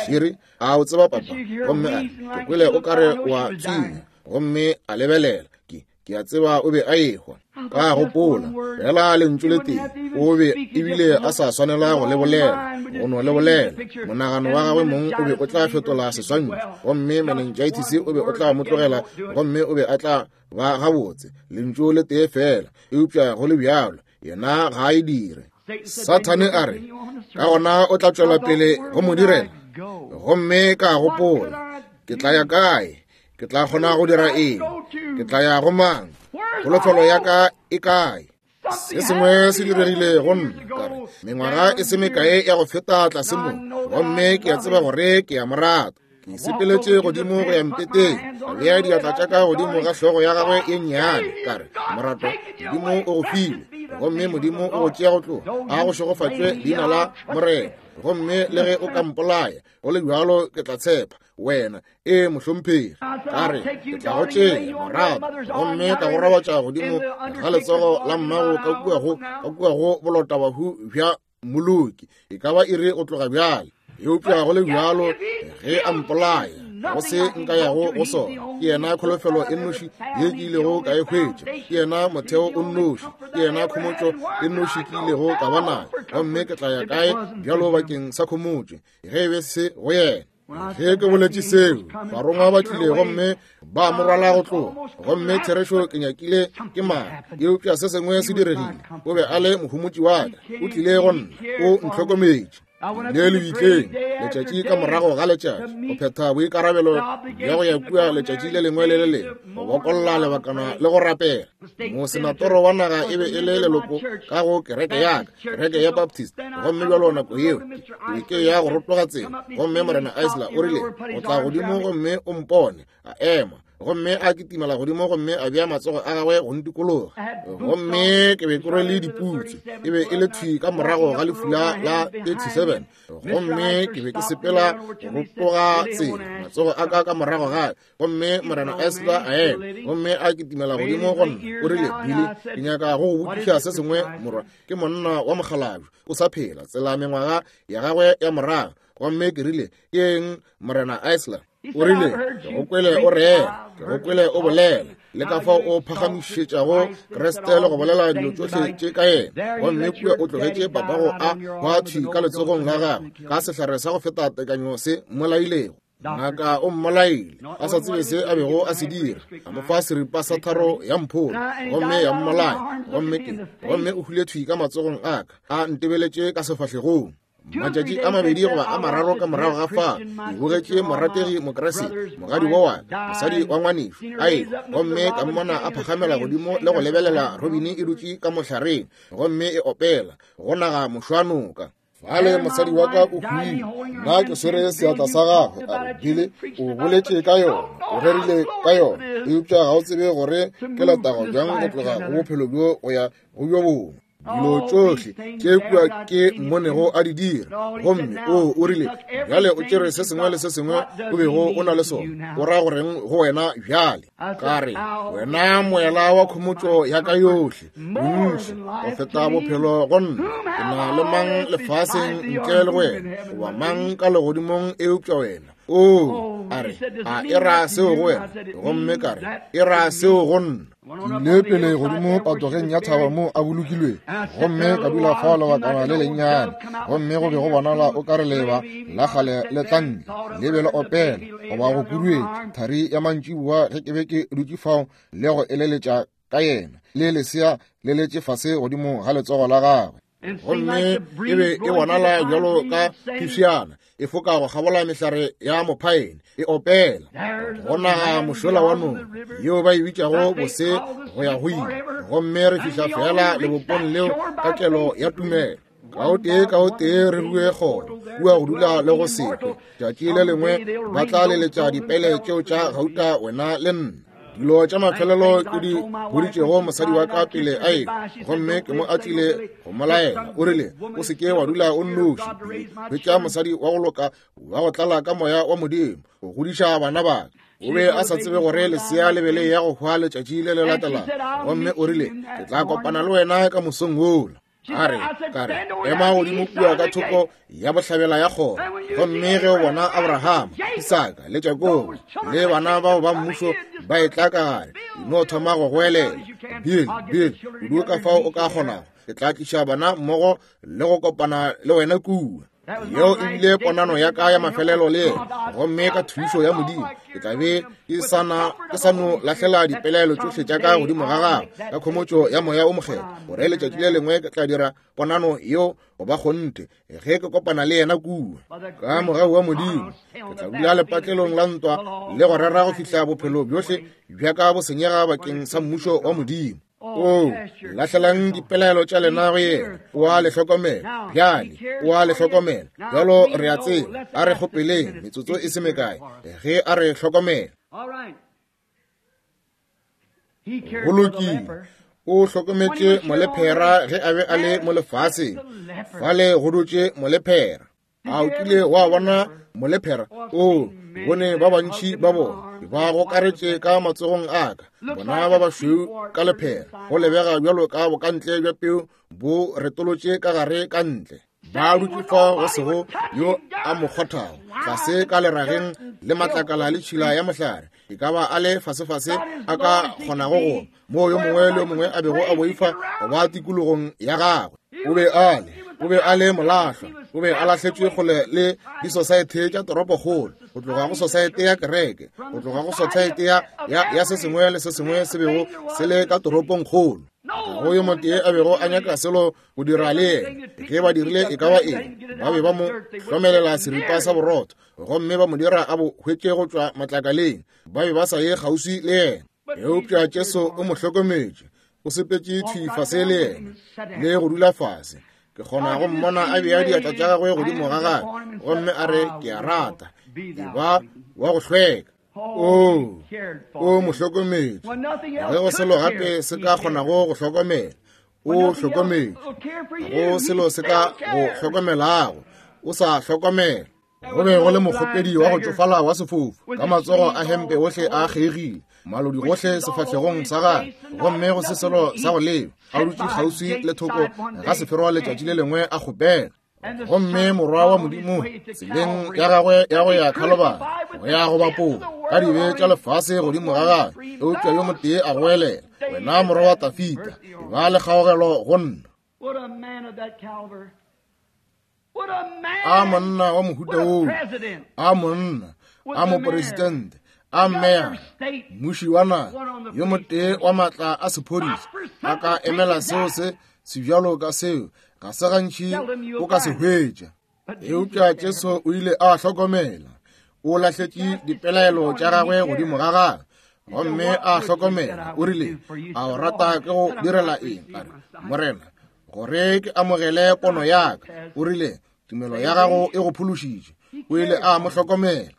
Shiri, a o tseba papa? Gomme a re, ke kwele o kare wa tswinya. Gomme a lebelela, ke ke a tseba o be a ehwa. Ka gopola fela lentšu le tee, o be ebile a sa swanela go le bolela, go no le bolela. Monagano wa gagwe mong o be o tla fetola seswantšho, gomme meningitis o be o tla mo tlogela, gomme o be a tla ba gabotse. Lentšu le tee fela, eupša go le bjalo, yena ga a e dire. Sathane a re, ka gona o tla tšwela pele go mo direla. Gomme ka gopola, ke tla ya kae? Ke tla kgona go dira eng? Ke tla ya go mang? Kholofelo ya ka e kae? Se sengwe se diregile go nna, ka re, mengwaga e se mekae ya go feta tlase mo, gomme ke a tseba gore ke a mo rata. Ke sepeletše godimo go ya mpeteng, ka bea diatla tša ka godimo ga hlogo ya gagwe ye nnyane, ka re, morato, Modimo o go file, gomme Modimo o go tšea go tloga. A go šegofatšwe leina la Morena. Gomme le ge o ka mpolaya, go le bjalo ke tla tshepa wena. E mohlomphegi. Ka re, ke tla go tšea, morato, gomme ka go robatša godimo ga letsogo la mmago ka kua go ka kua go bolotabahu bja moloki. E ka ba iri go tloga bjale. Eupša go le bjalo, ge a mpolaya, go se nka yago go sona. Ke yena kholofelo e nnoši ye ke ilego ka e hwetša. Ke yena motheo o nnoši. Ke yena khomotšo e nnoši ke ilego ka ba nayo. Gomme ke tla ya kae bjalo bakeng sa khomotšo, ge e be se go yena? Ge ke boletše seo, barongwa ba tlile gomme ba mo rwala go tloga. Gomme therešo ke nyakile ke mara, eupša se sengwe se diregile. O be a le mohomotši wa ka, o tlile go nna, o ntlhokometše. Le lebitleng letšatši ka morago ga letšatši, go phetha boikarabelo bja go ya kua letšatši le lengwe le le lengwe, go bokolla lebakana le go rapela. Mosenatoro wa naga e be e le leloko ka go kereke ya ka, kereke ya Baptist. Gomme bjalo nako yeo ke be ke ya go rotoga tsela, gomme Morena Isla o rile, o tla godimo gomme o mpone. A ema, gomme a kitimela godimo gomme a bea matsogo a gagwe go ntikologa. Gomme ke be ke rwele diputsu, e be e le thwi ka morago ga lefula la thirty-seven. Gomme ke be ke sepela go rotoga tsela, matsogo a ka ka morago gae. Gomme Morena Isla a ema, gomme a kitimela godimo go nna. O rile, Billy, ke nyaka go go botšiša se sengwe, morwa. Ke monna wa mokgalabje, o sa phela tsela mengwaga ya gagwe ya morago. Gomme ke rile, ke eng, Morena Isla? O rile, ke go kwele o rera, ke go kwele o bolela, le ka fao o phagamišetšago Kriste le go bolela dilo tšohle tše ka yena. Gomme kua o tlogetše papago a hwa thwi ka letsogong la gagwe, ka sehlare sa go feta tekanyo se mmolailego. Ngaka o mmolaile, a sa tsebe se a bego a se dira. A mo fa seripa sa tharo ya mpholo, gomme ya mmolaya. Gomme ke, gomme o hwile thwi ka matsogong a ka, a ntebeletše ka sefahlegong. Matšatši a mabedi goba a mararo ka morago ga fa, ke bogetše morategi Mokriste, mogadi wa wa ka, mosadi wa ngwanešo, a ehwa. Gomme ka mmona a phagamela godimo le go lebelela robini e dutše ka mohlareng, gomme e opela go naga mošwanoka. Fale mosadi wa ka o hwile, nna ke swere seatla sa gagwe. A re, Billy, o boletše ka yona, o rerile ka yona, eupša ga o tsebe gore ke letago bjang go tloga go bophelo bjo go ya go bjo bongwe. Dilo tšohle tše kua ke mmonego a di dira. Gomme o o rile, bjale o tšere se sengwe le se sengwe o bego o na le sona, o ra goreng go wena bjale? Ka re, wena moela wa khomotšo ya ka yohle, bontši go feta bophelo go nna. Ke na le mang lefaseng ntle le wena, goba mang ka legodimong eupša wena? O a re, a e ra seo go wena? Gomme ka re, e ra seo go nna. Ke ile pele godimo patogeng ya thaba mo a bolokilwe, gomme ka dula fao lebakana le lennyane. Gomme go be go bonala o ka re leba la kgale le tla ntle, le be le opela goba go kuduetša thari ya mantšiboa ge ke be ke dutše fao le go eleletša ka yena le lesea le letše fase godimo ga letsogo la gagwe. Gomme e be e bonala bjalo ka phefšana e foka go kgabola mehlare ya mophaene e opela go naga mošola wa noka yeo ba e bitšago bose go ya go ile. Gomme re fihla fela lebopong leo ka kelo ya tumelo. Ka o tee ka o tee re rue kgoro kua go dula le go sekwe. Tšatši le lengwe ba tla leletša dipele tšeo tša gauta wena le nna. Dilo tša mafelelo ke di boditšego mosadi wa ka pele a ekwa, gomme ke mo a tlile go mo laela. O rile, o se ke wa dula o nnoši, hwetša mosadi wa go loka wa go tlala ka moya wa Modimo go godiša bana ba ka. O be a sa tsebe gore lesea le be le ya go hwa letšatši le le latelago. Gomme o rile, ke tla kopana le wena ka mosong wola. A re, ka re, ema godimo kua ka thoko ya bohlabela ya kgoro, gomme ge o bona Abrahama, Isaka le Jakobo le bana bao ba mmušo ba etla ka gare, no thoma go goelela, Bill, Bill, kudu ka fao o ka kgonago, ke tla tliša bana mmogo le go kopana le wena kua. Yeo e bile ponano ya ka ya mafelelo le yena, gomme ka thušo ya Modimo ke tla be ke sa no lahlela dipelaelo tšohle tša ka godimo ga gagwe ka khomotšo ya moya o mokgethwa, gore letšatši le lengwe ke tla dira ponano yeo go ba kgonthe ge ke kopana le yena kua. Ka mogau wa Modimo ke tla dula lepatlelong la ntwa le go rera go fihla bophelo bjohle bja ka bo senyega bakeng sa mmušo wa Modimo. O lahlelang dipelaelo tša lena go yena, o a le hlokomela. Bjale o a le hlokomela. Bjalo re a tseba, a re kgopeleng metsotso e se mekae ge a re hlokomela. Go lokile. O hlokometše molephera ge a be a le mo lefaseng. Fale go dutše molephera. A o kile wa bona molephera? O bone ba bantši ba bona ba gokaretše ka matsogong a ka, bona ba bašweu ka lephera, go lebega bjalo ka bokantle bja peu bo retolotše ka gare ka ntle. Ba dutše fa go sego yo a mo kgothago, tlase ka lerageng le matlakala le tšhila ya mohlare, e ka ba a le fasefase a ka kgonago go moo yo mongwe le yo mongwe a bego a boifa go ba tikologong ya gagwe. O be a le o be a le molahlwa, o be a lahletšwe kgole le disosaete tša toropokgolo, go tloga go sosaete ya kereke, go tloga go sosaete ya, ya, ya se sengwe le se sengwe se bego se le ka toropongkgolo. Ga go yo motee a bego a nyaka selo go dira le yena. Ge ba dirile e ka ba eng, ba be ba mo hlomelela seripa sa borotho gomme ba mo dira a bo hwetše go tšwa matlakaleng. Ba be ba sa ye kgauswi le yena. Eupša Jesu o mo hlokometše, o sepetše thwi fase le yena le go dula fase. Ke kgona go mmona a bea diatla tša gagwe godimo ga gagwe gomme a re, ke a rata, e ba wa go hlweka. O o mo hlokometše. Ge go selo gape se ka kgonago go hlokomela, o hlokometše. Go selo se ka go hlokomelago, o sa hlokomela. Go be go le mokgopedi wa go tšofala wa sefofu ka matsogo a hempe ohle a kgeigile, malodi gohle sefahlegong sa gagwe, gomme go se selo sa go leba, a dutše kgauswi le thoko ga seferwa letšatši le lengwe a kgopela. Gomme morwa wa Modimo tseleng ya gagwe ya go ya Khalobari, go ya go bapola ka dibe tša lefase godimo ga gagwe, eupša yo motee a goelela, wena morwa wa Tafita, e ba le kgaogelo go nna. A monna wa mohuta woo, a monna, a moporesidente, a mmeya, mmuši wa naga, yo motee wa maatla a sephodisa, a ka emela seo se sebjalo ka seo, ga se gantši o ka se hwetša. Eupša Jesu o ile a hlokomela, o lahletše dipelaelo tša gagwe godimo ga gagwe, gomme a hlokomela. O rile, a o rata ke go direla eng? A re, Morena, gore ke amogele pono ya ka. O rile, tumelo ya gago e go phološitše. O ile a mo hlokomela.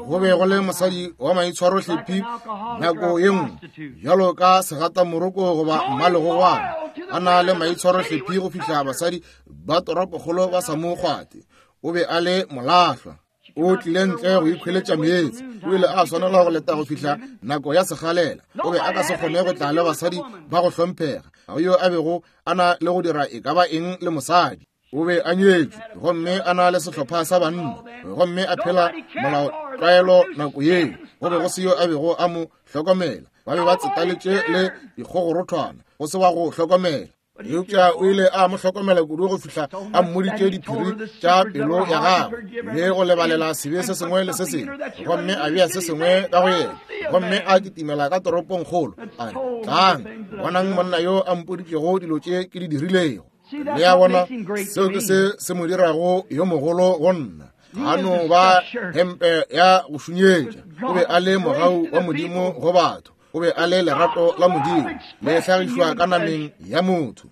Go be go le mosadi wa maitshwarohlephi nako ye nngwe, bjalo ka segatamoroko goba mmalegogwana, a na le maitshwarohlephi go fihla basadi ba toropokgolo ba sa mo kgwate. O be a le molahlwa. O tlile ntle go ikhweletša meetse. O ile a swanela go leta go fihla nako ya segalela. O be a ka se kgone go tla le basadi ba go hlomphega. Ga go yo a bego a na le go dira e ka ba eng le mosadi. O be a nyetšwe gomme a na le sehlopha sa banna, gomme a phela molaotlwaelo nako yeo. Go be go se yo a bego a mo hlokomela. Ba be ba tsetaletše le dikgogorothwana, go se wa go hlokomela. Eupša o ile a mo hlokomela kudu go fihla a mmoditše diphiri tša pelo ya gagwe le go lebalela sebe se sengwe le se sengwe, gomme a bea se sengwe ka go yena, gomme a kitimela ka toropong kgolo a re, tlang bonang monna yo a mpoditšego dilo tše ke di dirilego. Le a bona, seo ke se se mo dirago yo mogolo go nna. A no ba hempe ya go šunyetša. O be a le mogau wa Modimo go batho. O be a le lerato la Modimo le hlagišwa ka nameng ya motho.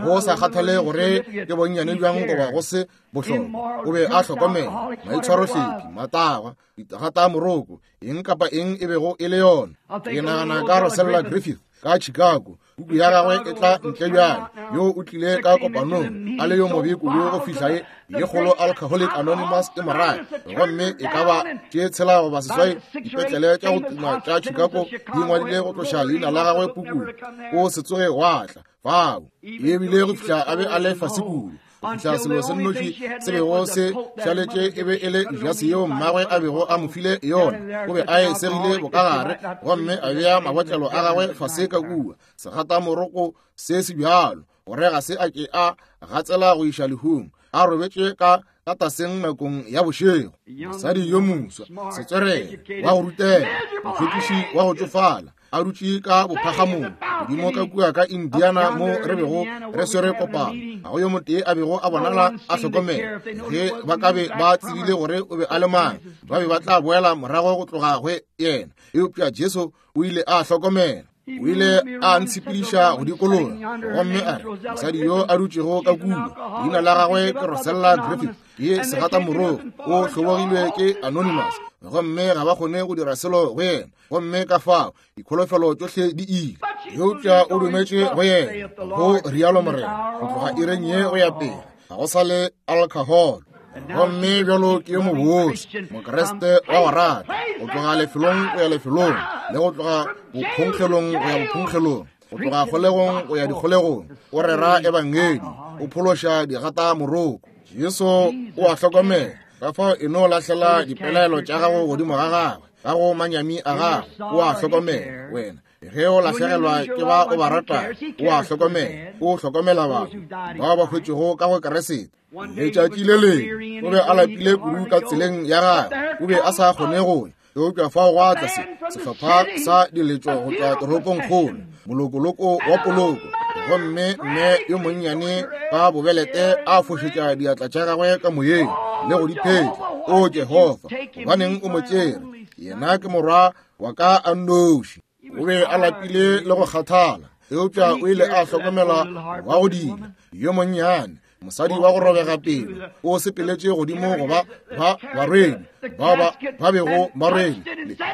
Go sa kgathale gore ke bonnyane bjang goba go se bohlokwa, o be a hlokomela maitshwarohlephi, matagwa, ditagata moroko, eng kapa eng e bego e le yona. Ke nagana ka Rosella Griffith ka Chicago, puku ya gagwe e tla ntle bjale, yo o tlile ka kopanong a le yo mobe kudu go fihla ye ye kgolo Alcoholic Anonymous e morae, gomme e ka ba tše tshela goba seswai dipetlele tša go tuma tša Chicago di ngwadile go tloša leina la gagwe pukung. O se tsoge wa tla fao, ebile go fihla a be a le fase kudu, go fihla selo se nnoši se bego se šaletše e be e le jase yeo mmagwe a bego a mo file yona. O be a e segile bokagare gomme a bea mabotlelo a gagwe fase ka kua, segatamoroko se se bjalo gore ga se a ke a gatsela go iša lehung, a robetše ka ka taseng nakong ya bošego. Mosadi yo moswa, setswerere, wa go rutega, mohlwekiši wa go tšofala, a dutše ka bophagamong godimo ka kua ka Indiana mo re bego re swere kopano. Ga go yo motee a bego a bonala a hlokomela. Ge ba ka be ba tsebile gore o be a le mang, ba be ba tla boela morago go tloga go yena. Eupša Jesu o ile a hlokomela. O ile a ntshepediša go dikologa gomme a re, mosadi yo a dutšego ka kua, leina la gagwe ke Rosella Griffith, ke segatamoroko, o hlobogilwe ke Anonymous, gomme ga ba kgone go dira selo go yena, gomme ka fao dikholofelo tšohle di ile. Eupša o dumetše go yena, go rialo Morena, go tloga ireng ye go ya pele ga go sa le alcohol. Gomme bjalo ke yo mobose, Mokreste wa go rata, go tloga lefelong go ya lefelong, le go tloga bophonkgelong go ya bophonkgelong, go tloga kgolegong go ya dikgolegong, o rera ebangedi, o phološa digatamoroko. Jesu o a hlokomela, ka fao e no lahlela dipelaelo tša gago godimo ga gagwe, ka go manyami a gagwe, o a hlokomela wena. Ge o lahlegelwa ke ba o ba ratago, o a hlokomela, o hlokomela batho bao ba hwetšego ka go Keresete. Letšatši le lengwe o be a lapile kudu ka tseleng ya gagwe, o be a sa kgone go ya, eupša fao gwa tla se sehlopha sa diletšo go tšwa toropong kgolo, molokoloko wa poloko, gomme mme yo monnyane ka bobelete a fošetša diatla tša gagwe ka moyeng le go di phetla. O Jehofa, gobaneng o mo tšere? Yena ke morwa wa ka a nnoši. O be a lapile le go kgathala, eupša o ile a hlokomela wa go dila yo monnyane, mosadi wa go robega pelo, o sepeletše godimo go ba ba barwedi bao ba ba bego ba rwele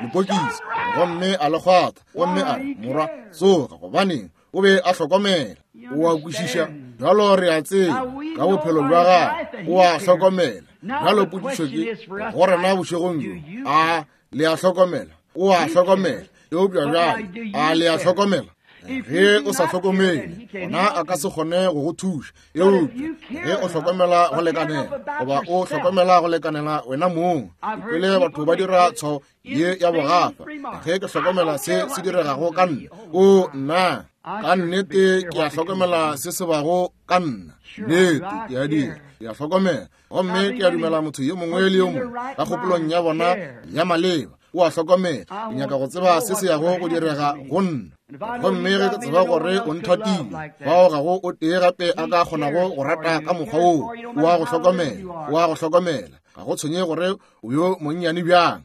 lepokisi, gomme a le kgwatha, gomme a re, morwa, tsoga. Gobaneng? O be a hlokomela. O a kwešiša bjalo, re a tseba ka bophelo bja gagwe, o a hlokomela. Bjalo potšišo ke go rena bošegong bjo, a le a hlokomela? O a hlokomela, eupša bjale a le a hlokomela? Ge o sa hlokomele, gona a ka se kgone go go thuša. Eupša ge o hlokomela go lekanela, goba o hlokomela go lekanela wena mong, pele batho ba dira tshwao ye ya bogafa, ge ke hlokomela se se diregago ka nna, o nna ka nnete ke a hlokomela se se bago ka nna, nnete ke a dira, ke a hlokomela. Gomme ke a dumela motho yo mongwe le yo mongwe ka kgopolong ya bona ya maleba o a hlokomela. Ke nyaka go tseba se se yago go direga go nna, gomme ge ke tseba gore o nthatile, fao ga go o tee gape a ka kgonago go rata ka mokgwa woo. O a go hlokomela, o a go hlokomela. Ga go tshwenye gore o yo monnyane bjang,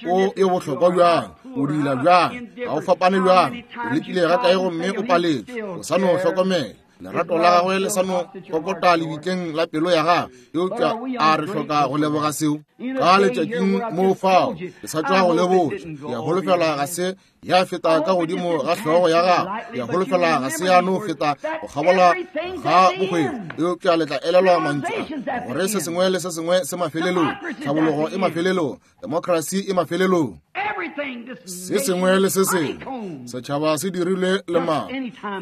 o yo bohlokwa bjang, o dila bjang, ga o fapane bjang, o lekile ga kae gomme o paletšwe, o sa no hlokomela. Lerato la gagwe le sa no kokota lebitleng la pelo ya gagwe. Eupša a re hloka go leboga seo ka letšatšing mo fao ke sa tšwa go lebotša. Ke a holofela ga se ya feta ka godimo ga hlogo ya gagwe, ke a holofela ga se ya no feta go kgabola ga bohwefo. Eupša le tla elelwa mantšu a gore se sengwe le se sengwe se mafelelong, tlhabologo e mafelelong, demokrasi e mafelelong, se sengwe le se sengwe. Setšhaba se dirilwe le mang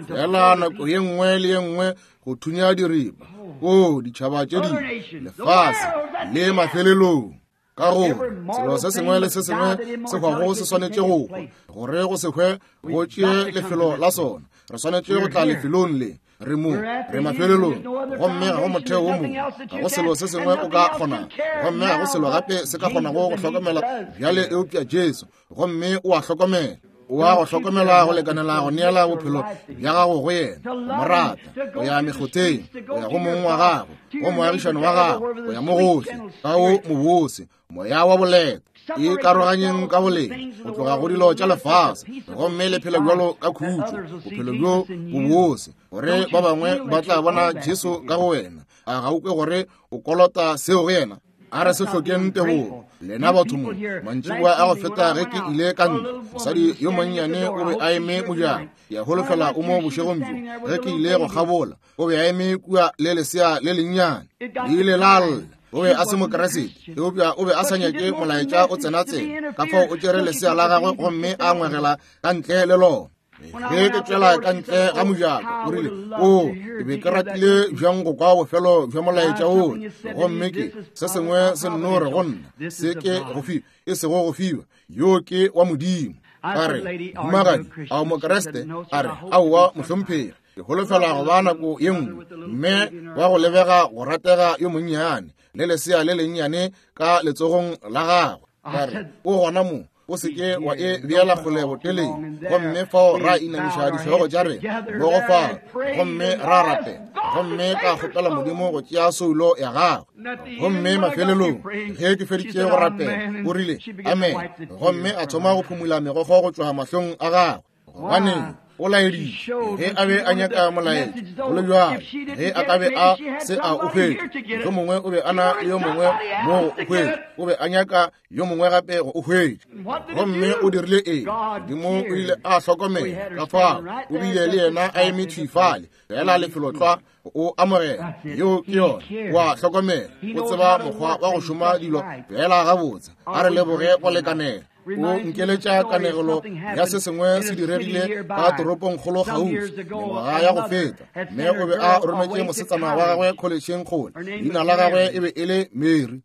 fela nako ye nngwe le ye nngwe go thunya diripa. O ditšhaba tše dingwe, lefase le mafelelong. Ka gore selo se sengwe le se sengwe se hwago se swanetše go hwa, gore go se hwe go tšee lefelo la sona. Re swanetše go tla lefelong le. Re mo, re mafelelong, gomme ga go motheo wo mongwe, ga go selo se sengwe o ka kgonago, gomme ga go selo gape se ka kgonago go hlokomela bjale eupša Jesu, gomme o a hlokomela. O a go hlokomela go lekanela go neela bophelo bja gago go yena, go mo rata, go ya mekgotheng, go ya go mong wa gago, go moagišane wa gago, go ya mo gohle, ka o mobose, moya wa boleta. E karoganyeng ka boleng go tloga go dilo tša lefase, gomme le phele bjalo ka khutšo, bophelo bjo bobose, gore ba bangwe ba tla bona Jesu ka go wena. A ga o kwe gore o kolota seo go yena? A re se hlokeng tebogo lena batho mo. Mantšiboa a go feta ge ke ile ka ntlo, mosadi yo monnyane o be a eme mojako. Ke a holofela o mo bošegong bjo. Ge ke ile go kgabola, o be a eme kua le lesea le lennyane. Le ile la lla. O be a se mokeresete, eupša o be a sa nyake molaetša o tsena tsena. Ka fao o tšere lesea la gagwe gomme a ngwegela ka ntle le lona. Ge ke tšwela ka ntle ga mojako, o rile, o, ke be ke ratile bjang go kwa bofelo bja molaetša oo, gomme ke se sengwe se nno re go nna, se ke go fiwa, e sego go fiwa, yo ke wa Modimo. A re, mohumagadi, a o mokeresete? A re, aowa mohlomphegi, ke holofela go ba nako ye nngwe. Mme wa go lebega go ratega yo monnyane, le lesea le lennyane ka letsogong la gagwe. A re, o gona mo, o se ke wa e beela kgole boteleng. Gomme fao ra inamiša dihlogo tša rena mmogo fao, gomme ra rapela, gomme ka kgopela Modimo go tšea soulo ya gagwe. Gomme mafelelong ge ke feditše go rapela, o rile amen, gomme a thoma go phumula megokgo go tšwa mahlong a gagwe. Gobaneng? O laeditše ge a be a nyaka molaetša, go le bjalo ge a ka be a se a o hwetša, mohlomongwe o be a na le yo mongwe mo go o hwetša, o be a nyaka yo mongwe gape go o hwetša. Gomme o dirile eng? Modimo o ile a hlokomela ka fao, o bile le yena a eme thwi fale, fela lefelotlwa o amogela. Yeo ke yona, o a hlokomela, o tseba mokgwa wa go šoma dilo fela gabotse. A re leboge go lekanela. O nkeletša kanegelo ya se sengwe se diregile ka toropongkgolo kgauswi mengwaga ya go feta. Mme o be a rometše mosetsana wa gagwe kholetšheng kgole. Leina la gagwe e be e le Mary.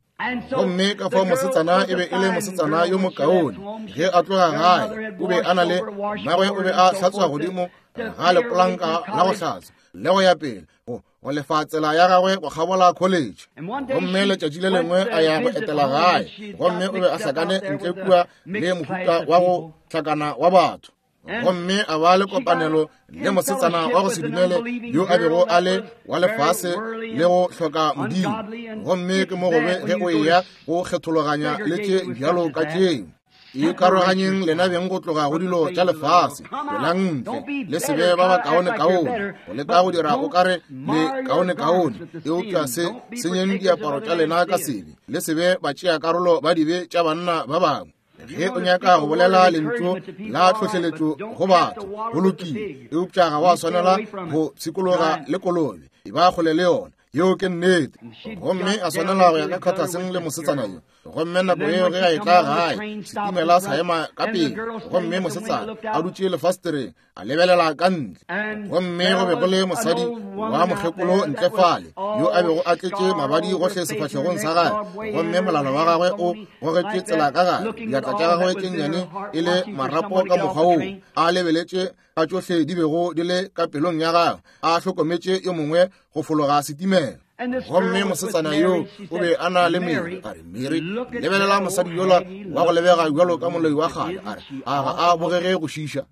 Gomme ka fao mosetsana e be e le mosetsana yo mokaone. Ge a tloga gae, o be a na le mmagwe, o be a hlatswa godimo ga lepolanka la go hlatswa le go ya pele go go lefa tsela ya gagwe go kgabola college. Gomme letšatši le lengwe a ya go etela gae, gomme o be a hlakane ntle kua le mohuta wa go hlakana wa batho. Gomme a ba le kopanelo le mosetsana wa go se dumele yo a bego a le wa lefase le go hloka Modimo. Gomme ke mo gobe ge o eya go kgethologanya le tše bjalo ka tšeo. E karoganyeng lena beng go tloga go dilo tša lefase, tšwelang ntle, le se be ba ba kaone-kaone, go leka go dira o kare le kaone-kaone, eupša se senyeng diaparo tša lena ka sebe, le se be ba tšea karolo ba dibe tša banna ba bangwe. Ge o nyaka go bolela lentšu la tlhohleletšo go batho, go lokile, eupša ga wa swanela go pshikologa le kolobe, e ba kgole le yona. Yeo ke nnete. Gomme a swanela go ya ka kgathaseng le mosetsana yo. Gomme nako yeo ge a etla gae, setimela sa ema ka pele, gomme mosetsana a dutše lefastereng a lebelela ka ntle. Gomme go be go le mosadi wa mokgekolo ntle fale, yo a bego a tletše mabadi gohle sefahlegong sa gagwe, gomme molala wa gagwe o gogetšwe tsela ka gare, diatla tša gagwe tše nnyane e le marapo ka mokgwa woo, a lebeletše ka tšohle di bego di le ka pelong ya gagwe, a hlokometše yo mongwe go fologa setimela. Gomme mosetsana yo o be a na le Mary. A re, Mary, lebelela mosadi yola wa go lebega bjalo ka moloi wa kgale. A re, a ga a bogege go šiša.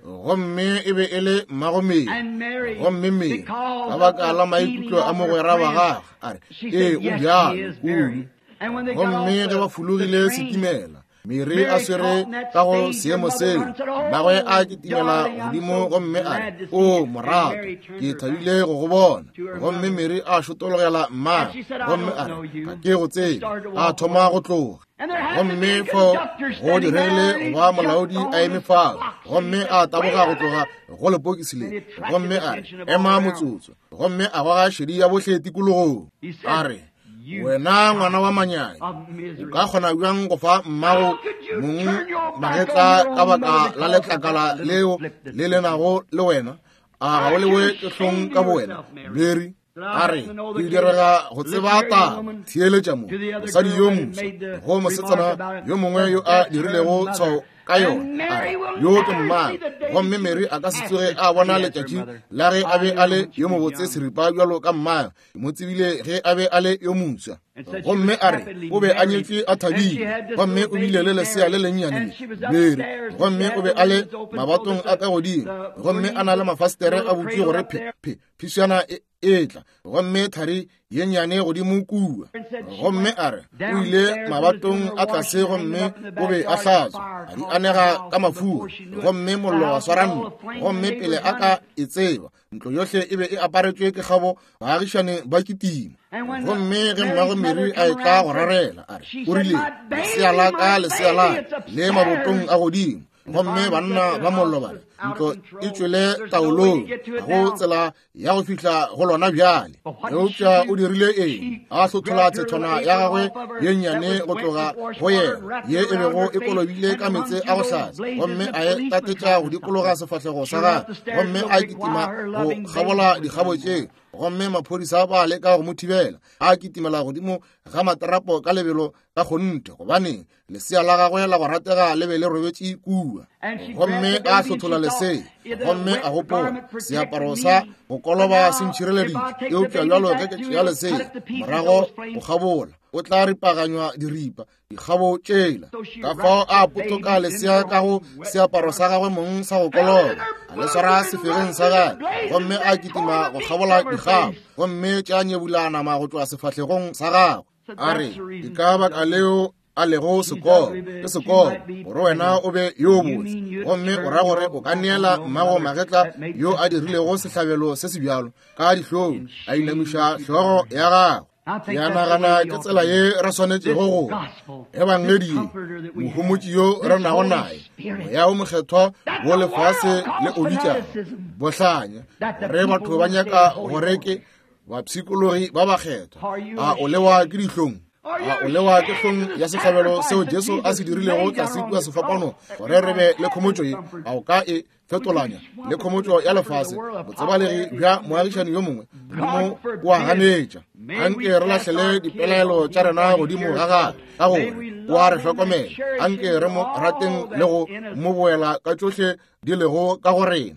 Gomme e be e le mmago Mary. Gomme Mary, ka baka la maikutlo a mogwera wa gagwe, a re, ee, o bjalo kudu. Gomme ge ba fologile setimela, Mary a swere ka go seemo seo, mmagwe a kitimela godimo gomme a re, o morato, ke thabile go go bona. Gomme Mary a šotologela mmagwe gomme a re, ga ke go tsebe. A thoma go tloga. Gomme fo go diregile go ba molaodi a eme fao, gomme a taboga go tloga go lepokisi le, gomme a re, ema motsotso. Gomme a goga šedi ya bohle tikologong. A re, wena ngwana wa manyai, o ka kgona bjang go fa mmago mong magetla ka baka la letlakala leo le lenago le wena? A ga o lewe ke hlong ka bowena, Mary? A re, ke direga go tseba taba. Theeletša mo, mosadi yo moswa go mosetsana yo mongwe yo a dirilego tshwao ka yona. A re, yo ke mmagwe. Gomme Mary a ka se tsoge a bona letšatši la ge a be a le yo mobotse seripa bjalo ka mmagwe. Ke mo tsebile ge a be a le yo moswa. Gomme a re, o be a nyetšwe a thabile, gomme o bile le lesea le lennyane Mary, gomme o be a le mabatong a ka godimo, gomme a na le mafastere a butšwe gore phe phe phišana e etla, gomme thari ye nnyane godimo kua. Gomme a re, o ile mabatong a tlase gomme o be a hlatswa, a di anega ka mafura, gomme mollo wa swara ntlo. Gomme pele a ka e tseba, ntlo yohle e be e aparetšwe ke kgabo, baagišane ba kitima. Gomme ge mmago Mary a etla go rarela, a re, o rile, lesea la ka, lesea la ka, le mabotong a godimo. Gomme banna ba mollo ba re, ntlo e tšwele taolong, ga go tsela ya go fihla go lona bjale. Eupša o dirile eng? A hlothola tshethwana ya gagwe ye nnyane go tloga go yena, ye e bego e kolobile ka meetse a go hlatsa, gomme a e tatetša go dikologa sefahlego sa gagwe, gomme a kitima go kgabola dikgabo tšeo. Gomme maphodisa ba leka go mo thibela, a kitimela godimo ga materapo ka lebelo ka kgonthe, gobane lesea la gagwe la go ratega le be le robetše kua. Gomme a hlothola lesea, gomme a gopola, seaparo sa go koloba se ntšhireleditše, eupša bjalo ge ke tšea lesea morago go kgabola, o tla ripaganywa diripa dikgabo tšela. Ka fao a potoka lesea ka go seaparo sa gagwe mong sa go koloba, a le swara sefegeng sa gagwe, gomme a kitima go kgabola dikgabo, gomme tša nyebula nama go tšwa sefahlegong sa gagwe. A re, ke ka baka leo a lego sekolo, ke sekolo, gore wena o be yo botse, gomme o ra gore o ka neela mmago magetla yo a dirilego sehlabelo se se bjalo ka dihlong, a inamiša hlogo ya gagwe. Ke a nagana ke tsela ye re swanetšego go ebangedi ye, mohomotši yo re nago naye, moya o mokgethwa wo lefase le o bitšago bohlanya, gore batho ba nyaka gore ke bapshikologi ba bakgethwa. A o lewa ke dihlong? A o lewa ke hlong ya sehlabelo seo Jesu a se dirilego tlase kua sefapanong gore re be le khomotšo ye? A o ka e fetolanya le khomotšo ya lefase, botsebalegi bja moagišani yo mongwe? Modimo o a ganetša. Anke re lahlele dipelaelo tša rena godimo ga gagwe, ka gore o a re hlokomela. Anke re mo rateng le go mo boela ka tšohle di lego ka go rena.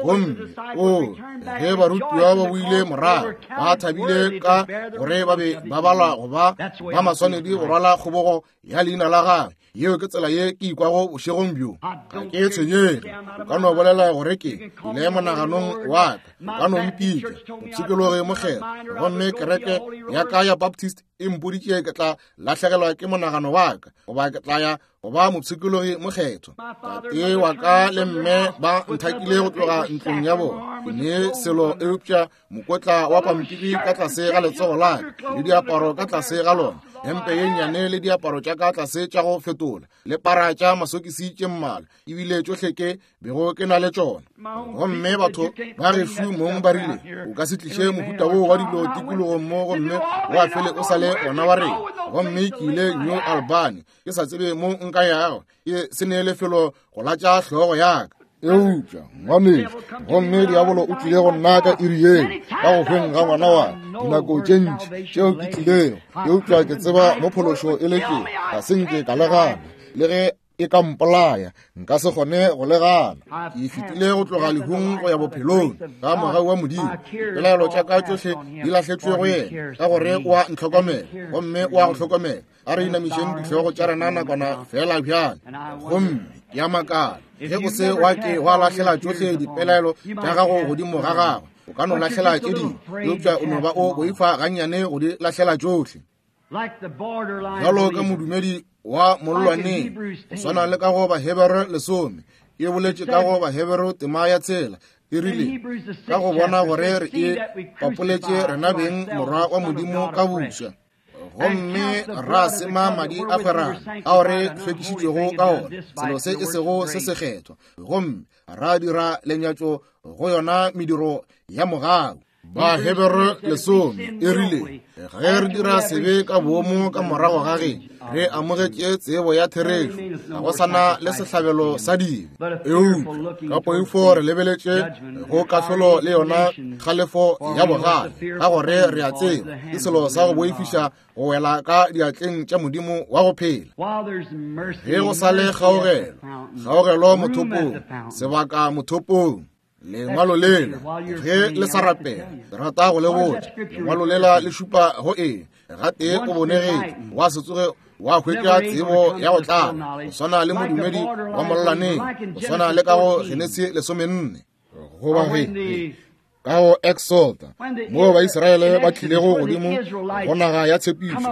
Gomme o ge barutiwa ba boile morago, ba thabile ka gore ba be ba balwa go ba ba maswanedi go rwala kgobogo ya leina la gagwe. Yeo ke tsela ye ke ikwago bošegong bjo. Ga ke tshwenyege. O ka no bolela gore ke ile monaganong wa ka, o ka no mpitša mopshikologi mokgethwa, gomme kereke ya ka ya Baptist e mpoditše ke tla lahlegelwa ke monagano wa ka, goba ke tla ya go ba mopshikologi mokgethwa. Tate wa ka le mme ba nthakile go tloga ntlong ya bona, ke ne selo eupša mokotla wa pampiri ka tlase ga letsogo la ka, le diaparo ka tlase ga lona, hempe ye nnyane le diaparo tša ka tlase tša go fetola, le para tša masokisi tše mmalwa, ebile tšohle ke bego ke na le tšona. Gomme batho ba gešo mong ba rile, o ka se tliše mohuta wo wa dilo tikologong mo, gomme wa fele o sa le ona wa rena. Gomme ke ile New Albany, ke sa tsebe mo nka yago, ke se ne lefelo go latša hlogo ya ka. Eupša ngwanešu, gomme diabolo o tlile go nna ka iri yeo, ka go hweng ga ngwana wa dinako tše ntši tšeo ke tlilego, eupša ke tseba mo phološo e letšego, ga se nke ka le gana, le ge e ka mpolaya nka se kgone go le gana. Ke fetile go tloga lehung go ya bophelong ka mogau wa Modimo. Dipelaelo tša ka tšohle di lahletšwe go yena, ka gore o a ntlhokomela, gomme o a go hlokomela. A re inamišeng dihlogo tša rena nakwana fela bjale. Gomme ke a makala, ge o se wa ke wa lahlela tšohle dipelaelo tša gago godimo ga gagwe, o ka no lahlela tše dingwe, eupša o no ba o boifa gannyane go di lahlela tšohle. Bjalo ka modumedi wa mollwaneng, go swana le ka go Bahebere lesome, e boletše ka go Bahebere tema ya tshela, e rile, ka go bona gore re e papoletše rena beng morwa wa Modimo ka buswa, gomme ra sema madi a kgwerano ao re hlwekišitšwego ka ona, selo se e sego se sekgethwa, gomme ra dira lenyatšo go yona mediro ya mogau. Bahebere lesome e rile ge re dira sebe ka boomo ka morago ga ge re amogetše tsebo ya therešo, ga go sana le sehlabelo sa dibe. Eupša ka poifo re lebeletše go kahlolo le yona kgalefo ya bogale, ka gore re a tseba ke selo sa go boifiša go wela ka diatleng tša Modimo wa go phela. Ge go sa le kgaogelo, kgaogelo mothopong, sebaka mothopong. Lengwalo lela ge le sa rapela, ke rata go le botša, lengwalo lela le šupa go eng? Gatee o bonegetše, wa se tsoge wa hwetša tsebo ya go tlala, go swana le modumedi wa mollaneng, go swana le ka go Genesi lesomenne, goba ge ka go Exoda, moo Baisraele ba tlilego godimo go naga ya tshepišo,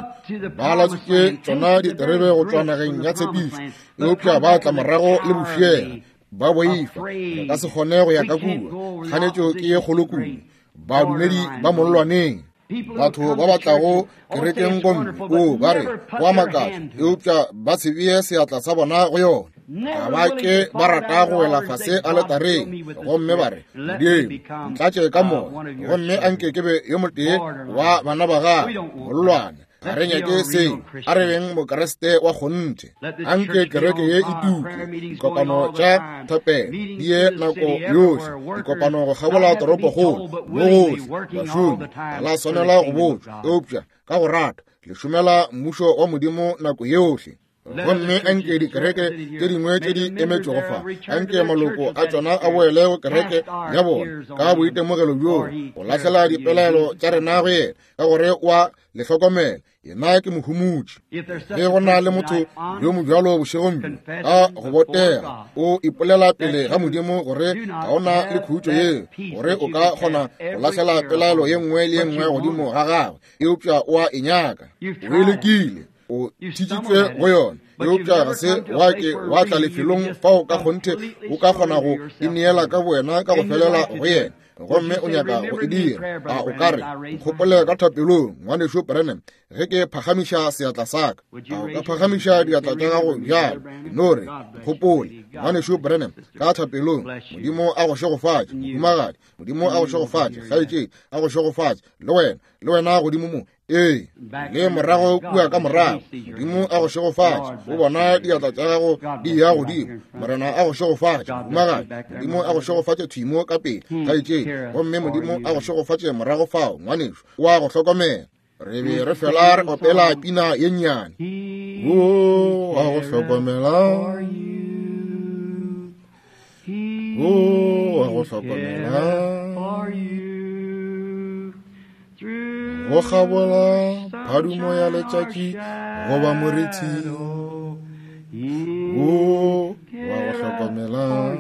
ba latswitše tšona diterebe go tšwa nageng ya tshepišo, eupša ba tla morago le bofiela, ba boifa, re ka se kgone go ya ka kua, kganetšo ke ye kgolo kudu. Badumedi ba mollwaneng, batho ba ba tlago kerekeng gomme o ba re go a makatša, eupša ba se bee seatla sa bona go yona. Ga ba ke ba rata go wela fase aletareng gomme ba re, Modimo, ntlatše ka moya, gomme anke ke be yo motee wa bana ba gago. Mollwane, ga re nyake seo, a re beng Mokriste wa kgonthe. Anke kereke ye e tuke, dikopano tša thapelo di ye nako yohle, dikopano go kgabola toropokgolo mo gohle. Bašomi ga la swanela go botšwa, eupša ka go rata le šomela mmušo wa Modimo nako yohle. Gomme anke dikereke tše dingwe tše di emetšego fa, anke maloko a tšona a boele go kereke ya bona ka boitemogelo bjoo, go lahlela dipelaelo tša rena go yena, ka gore wa le hlokomela, yena ke mohumotši. Ge go na le motho yo mobjalo bošegong bjo, ka go botega o ipolela pele ga Modimo gore ga o na le khutšo yeo, gore o ka kgona go lahlela pelaelo ye nngwe le ye nngwe godimo ga gagwe, eupša o a e nyaka, o e lekile, o thitšitšwe go yona, eupša ga se wa ke wa tla lefelong fao ka kgonthe o ka kgona go ineela ka bowena ka go felela go yena, gomme o nyaka go e dira. A o ka re, nkgopole ka thapelong, ngwanešo Branham, ge ke phagamiša seatla sa ka? A o ka phagamiša diatla tša gago bjalo? No re, nkgopole, ngwanešo Branham, ka thapelong. Modimo a go šegofatše, mohumagadi. Modimo a go šegofatše, kgaetšedi, a go šegofatše, le wena, le wena godimo mo. Ee, le morago kua ka morago. Modimo a go šegofatše, o bona diatla tša gago di ya godimo. Morena a go šegofatše, mohumagadi. Modimo a go šegofatše thwimo ka pele, kgaetšedi. Gomme Modimo a go šegofatše morago fao, ngwanešo, o a go hlokomela. Re be re fela re opela pina ye nnyane. O a go hlokomela, o a go hlokomela, go kgabola phadumo ya letšatši goba morithi, o wa go hlokomela.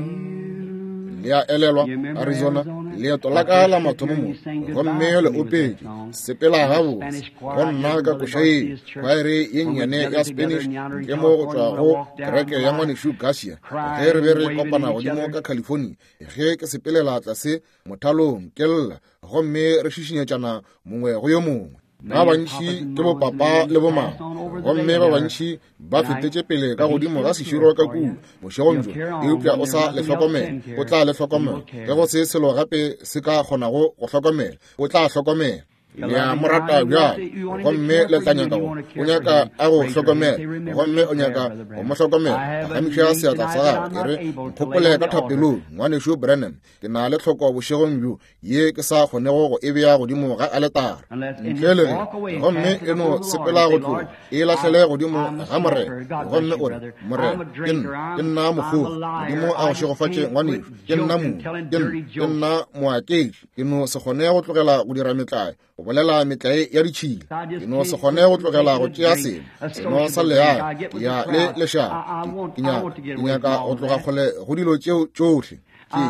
Le a elelwa Arizona, leeto la ka la mathomo mo, gomme le opetše sepela gabotse go nna ka koša yeo, kwaere ye nnyane ya Spanish ntle mo go tšwa go kereke ya ngwanešu Garcia, ge re be re kopana godimo ka California, ge ke sepelela tlase mothalong ke lla, gomme re šišinyetšana mongwe go yo mongwe. Ba bantši ke bopapa le bomama, gomme ba bantši ba fetetše pele ka godimo ga seširo ka kua bošegong bjo, eupša o sa le hlokomela, o tla le hlokomela. Ge go se selo gape se ka kgonago go hlokomela, o tla hlokomela. Le a mo rata bjalo, gomme le tla nyaka go, o nyaka a go hlokomela, gomme o nyaka go mo hlokomela. Phagamiša seatla sa gago, e re, nkgopole ka thapelong, ngwanešo Branham, ke na le tlhoko bošegong bjo ye ke sa kgonego go e bea godimo ga aletara ntle le ge, gomme e no sepela go tloga, e lahlele godimo ga Morena, gomme o re, Morena, ke nna, ke nna mokgogi. Modimo a go šegofatše, ngwanešo, ke nna mo, ke nna, ke nna moaketši, ke no se kgone go tlogela go dira metlae, go bolela metlae ya ditšhila, ke no se kgone go tlogela go tšea seno, seno sa leae, ke ya le lešaba, ke nyaka, ke nyaka go tloga kgole go dilo tšeo tšohle. Ke,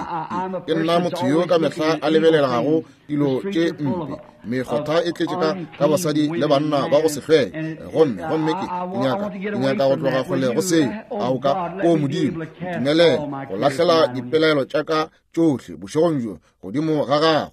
ke nna motho yo ka mehla a lebelelago dilo tše mpe, mekgotha e tletše ka ka basadi le banna ba go se hlweke, gomme gomme ke ke nyaka ke nyaka go tloga kgole go seo. A o ka, o Modimo, ntumelele go lahlela dipelaelo tša ka tšohle bošegong bjo godimo ga gago.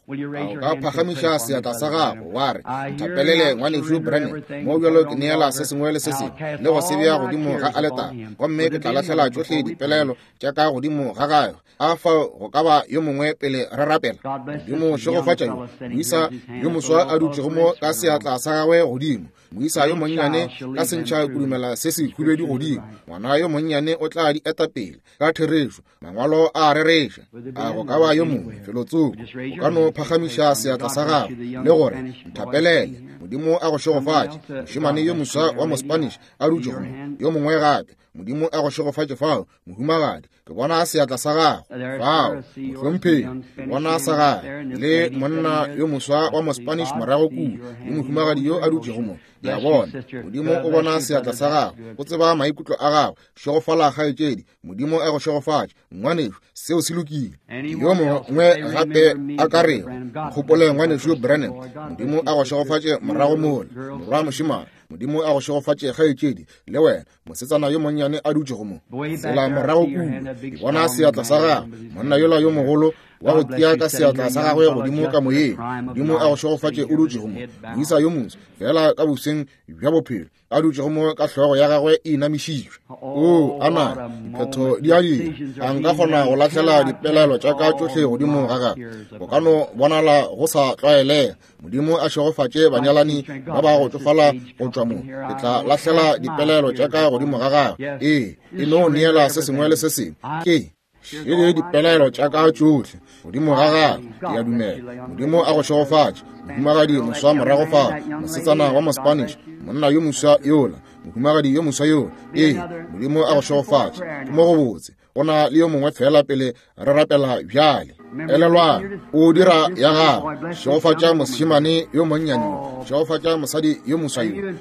A o ka phagamiša seatla sa gago wa re, nthapelele ngwanešu Branham, mo bjalo ke neela se sengwe le se sengwe le go se bea godimo ga aletara, gomme ke tla lahlela tšohle dipelaelo tša ka godimo ga gagwe. A fao go ka ba yo mongwe pele re rapela? Modimo šegofatša yo moisa yo moswa a dutšego mo ka seatla sa gagwe godimo, moisa yo monnyane ka sentšha kudumela se se khubedu godimo. Ngwana yo monnyane o tla di eta pele ka therešo, mangwalo a rereša. A go ka ba yo mongwe felotsoko o ka no phagamiša seatla sa gago le gore, nthapelele, Modimo a go šegofatše. Mošemane yo moswa wa Mospanish a dutšego mo, yo mongwe gape, Modimo a go šegofatše fao, mohumagadi. Ke bona seatla sa gago fao, mohlomphegi. Ke bona sa gago le monna yo moswa wa Mospanish morago kua, le mohumagadi yo a dutšego mo. Ke a bona Modimo o bona seatla sa gago, o tseba maikutlo a gago. Šegofala kgaetšedi, Modimo a go šegofatše. Ngwanešu, seo se lokile. Yo mongwe gape a ka rego, nkgopole ngwanešu Branham, Modimo a go šegofatše morago mola, morwa mošemane. Modimo a go šegofatše kgaetšedi, le wena mosetsana yo monnyane a dutšego mo. Tsela morago kua, ke bona seatla sa gago, monna yola yo mogolo wa go tia ka seatla sa gagwe godimo ka moyeng. Modimo a go šegofatše o dutšego mo, moisa yo moso fela ka boseng bja bophelo a dutšego mo ka hlogo ya gagwe e inamišitšwe. O ana diphetho di a dira. A nka kgona go lahlela dipelaelo tša ka tšohle godimo ga gagwe? Go ka no bonala go sa tlwaelega. Modimo a šegofatše banyalani ba ba go tšofala go tšwa mo. Ke tla lahlela dipelaelo tša ka godimo ga gagwe. Ee, e no neela se sengwe le se sengwe. Ke šele dipelaelo tša ka tšohle godimo ga gagwe. Ke a dumela. Modimo a go šegofatše. Mohumagadi moswa morago fao, mosetsana wa Mospanish, monna yo moswa yola, mohumagadi yo moswa yola. Ee, Modimo a go šegofatše. Ke mo go botse. Go na le yo mongwe fela pele re rapela bjale. Elelwang, o dira ya gago. Šegofatša mošemane yo monnyane yo, šegofatša mosadi yo moswa yo.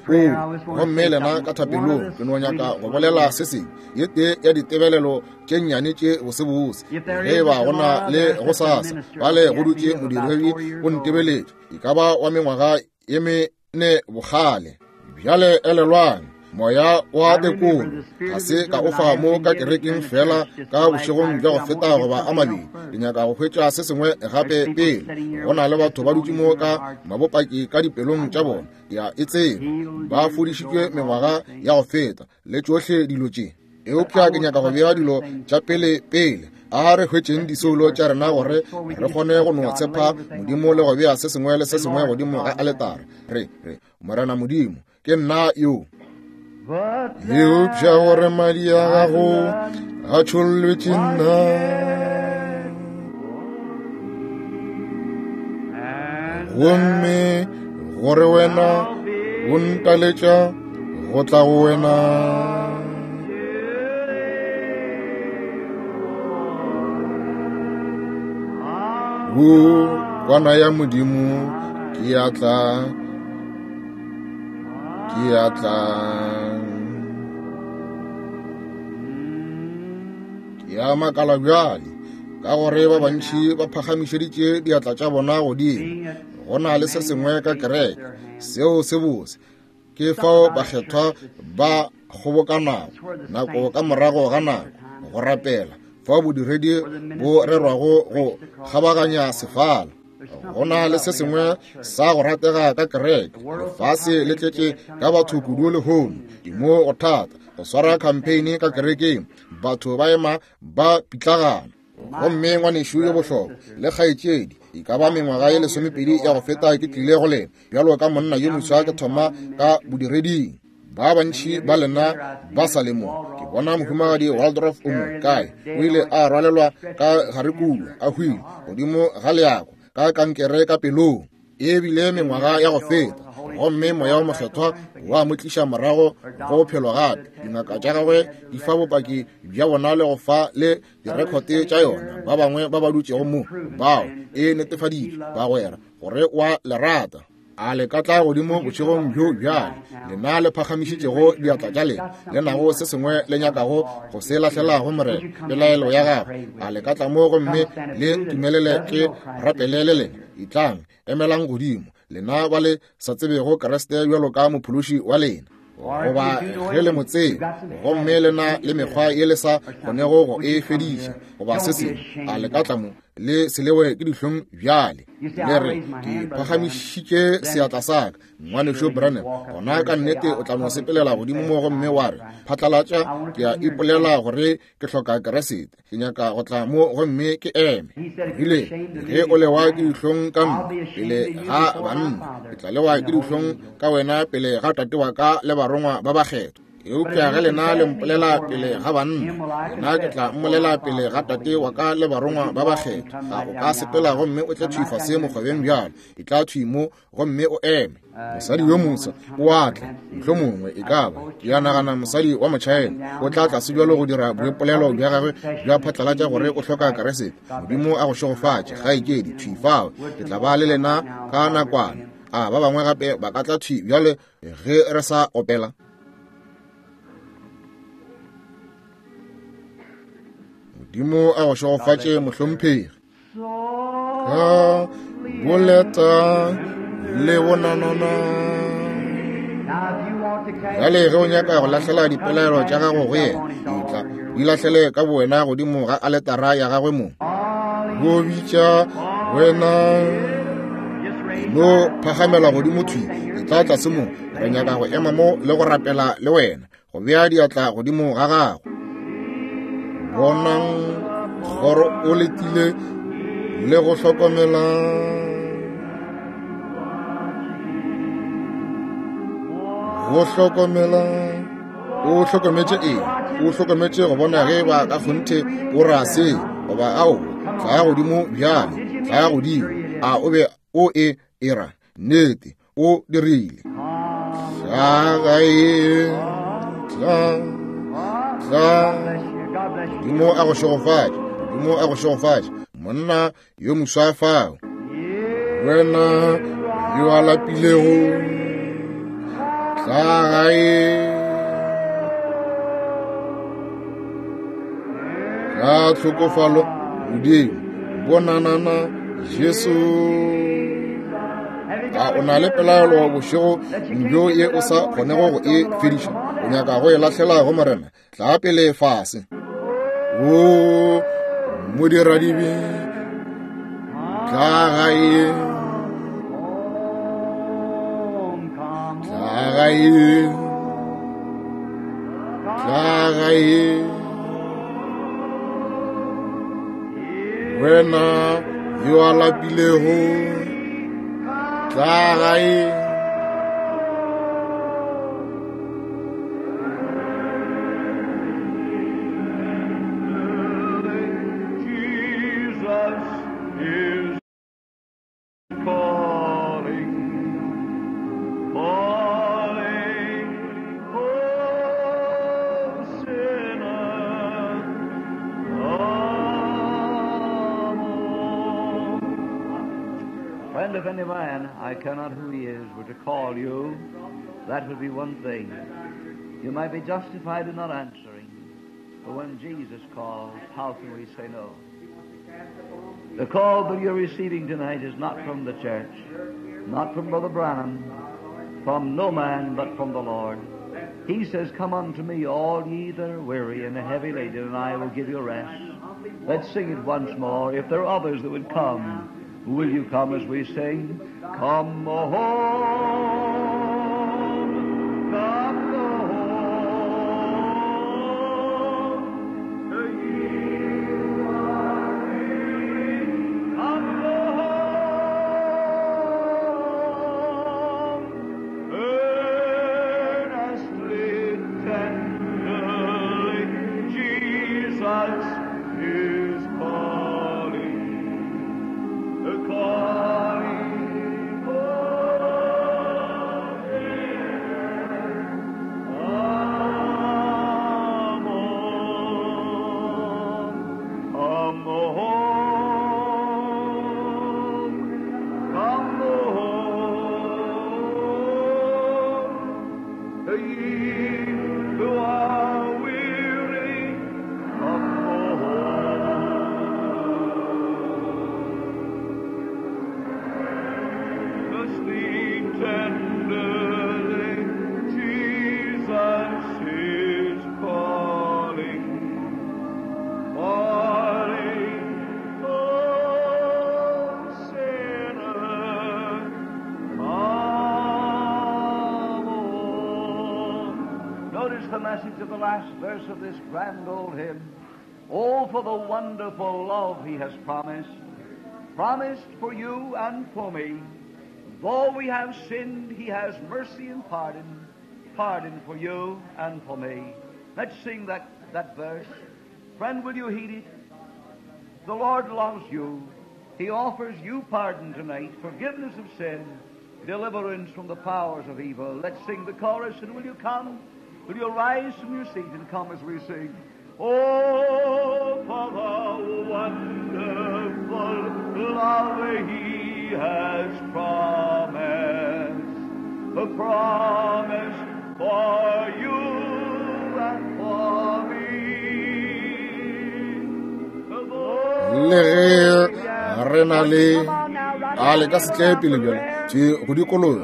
O gomme lena ka thapelong, ke no nyaka go bolela se sengwe. Ye tee ya ditebelelo tše nnyane tše bosebose, ge ba go na le go sasa bale go dutše modiredi o ntebeletše, e ka ba wa mengwaga ye mene bokgale. Bjale elelwang, moya wa tekolo ga se ka o fa mo ka kerekeng fela ka bošegong bja go feta goba a mabedi. Ke nyaka go hwetša se sengwe gape pele. Go na le batho ba dutše mo ka mabopaki ka dipelong tša bona, ya e tseba, ba fodišitšwe mengwaga ya go feta le tšohle dilo tše. Eupša ke nyaka go bea dilo tša pele pele. A re hwetšeng disoulo tša rena gore re kgone go no tshepa Modimo le go bea se sengwe le se sengwe godimo ga aletara. Re re, Morena Modimo, ke nna yo. Eupša gore madi a gago a tšhollwetše nna, gomme gore wena o ntaletša go tla go wena. O kwana ya Modimo, ke a tla, ke a tla. Ke a makala bjale, ka gore ba bantši ba phagamišeditše diatla tša bona godimo. Go na le se sengwe ka kereke seo se bose. Ke fao bakgethwa ba kgobokanago nako ka morago ga nako go rapela, fao bodiredi bo rerwago go kgabaganya sefala. Go na le se sengwe sa go ratega ka kereke. Lefase le tletše ka batho kudu lehono. Ke mo go thata go swara campaign ka kerekeng, batho ba ema ba pitlagana. Gomme ngwanešu yo bohlokwa le kgaetšedi, e ka ba mengwaga ye lesomepedi ya go feta ke tlile go lena bjalo ka monna yo moswa ke thoma ka bodireding. Ba bantši ba lena ba sa le mo. Ke bona mohumagadi Waldorf o mo kae, o ile a rwalelwa ka gare kua, a hwile godimo ga leako ka kankere ka pelong. E bile mengwaga ya go feta, gomme moya wa mokgethwa wa mo tliša morago go bophelo gape. Dingaka tša gagwe di fa bopaki bja bona le go fa le direkhote tša yona. Ba bangwe ba ba dutšego mo bao e netefaditšwe, bagwera, gore wa le rata. A le ka tla godimo bošegong bjo bjale, lena le phagamišitšego diatla tša lena, le nago se sengwe le nyakago go se lahlela go Morena, pelaelo ya gago. A le ka tla mo gomme le ntumelele ke rapele le lena? Etlang, emelang godimo, lena ba le sa tsebego Kriste bjalo ka mophološi wa lena, goba ge le mo tseba gomme le na le mekgwa ye le sa kgonego go e fediša goba se sengwe. A le ka tla mo Le se lewe ke dihlong bjale. Le re, ke phagamišitše seatla sa ka, Ngwanešu Branham. Gona ka nnete o tla no sepelela godimo mo gomme wa re, phatlalatša, ke a ipolela gore ke hloka Keresete. Ke nyaka go tla mo gomme ke eme. Rile, ge o lewa ke dihlong ka nna pele ga banna, ke tla lewa ke dihlong ka wena pele ga tate wa ka le barongwa ba bakgethwa. Eupša ge lena le mpolela pele ga banna, nna ke tla mmolela pele ga tate wa ka le barongwa ba bakgethwa. A o ka sepela gomme o tle thwi fase mokgobeng bjalo, e tla thwi mo gomme o eme. Mosadi yo moswa o a tla, mohlomongwe e ka ba, ke a nagana mosadi wa Motšhaena, o tla tlase bjalo go dira boipolelo bja gagwe bja phatlalatša gore o hloka Keresete. Modimo a go šegofatše, kgaetšedi, thwi fao. Ke tla ba le lena ka nakwana. A ba bangwe gape ba ka tla thwi bjale ge re sa opela. Modimo a go šegofatše, mohlomphegi. Ka boleta le bonanana. Bjale ge o nyaka go lahlela dipelaelo tša gago go yena, etla di lahlele ka bowena godimo ga aletara ya gagwe mong. Go bitša wena, no phagamela godimo thwi, etla tlase mo. Re nyaka go ema mo le go rapela le wena, go bea diatla godimo ga gago. Bonang gore o letile le go hlokomela. Go hlokomela. O hlokometše eng? O hlokometše go bona ge ba ka kgonthe o ra se goba ao. Tla godimo bjale, tla godimo. A o be o e era? Nnete, o dirile. Tla gae, tla, tla. Modimo a go šegofatše, Modimo a go šegofatše. Monna yo moswa fao, wena yo a lapilego, tla gae. Ka tlhokofalo Modimo, bonanana Jesu. A o na le pelaelo bošego bjo ye o sa kgonego go e fediša? O nyaka go e lahlela go Morena? Tla pele fase. O modiradibe, tla gae, tla gae, tla gae. Wena yo a lapilego, tla gae. If any man, I cannot who he is, were to call you, that would be one thing. You might be justified in not answering. But when Jesus calls, how can we say no? The call that you're receiving tonight is not from the church, not from Brother Branham, from no man, but from the Lord. He says, "Come unto me, all ye that are weary and heavy laden, and I will give you rest." Let's sing it once more. If there are others that would come, will you come as we sing? Come home, come home, ye are weary. Come home, earnestly, tenderly, Jesus is calling. Calling, oh, the message of the last verse of this grand old hymn. Oh, for the wonderful love He has promised, promised for you and for me. Though we have sinned, He has mercy and pardon, pardon for you and for me. Let's sing that, that verse. Friend, will you heed it? The Lord loves you. He offers you pardon tonight, forgiveness of sin, deliverance from the powers of evil. Let's sing the chorus, and will you come? Will you rise from your seat and come as we sing? Oh, for the wonderful love He has promised, a promise for you and for me. Le ge re na le a le ka se tle pele bjale tše go dikologa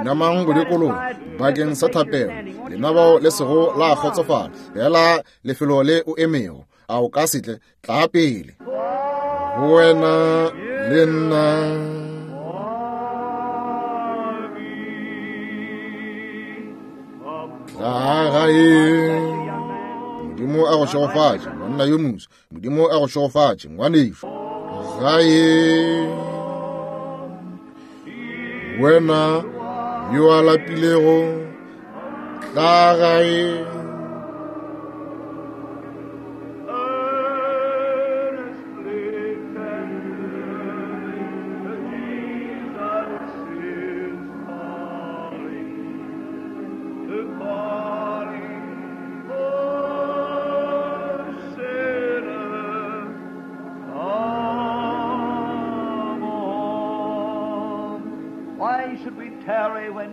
namang go dikologa bakeng sa thapelo lena bao le sego la kgotsofala fela lefelo le o emego a o ka se tle tla pele go wena le nna. Tla gae. Modimo a go šegofatše monna yo moso, Modimo a go šegofatše ngwanešu. Gae wena yo a lapilego, tla gae.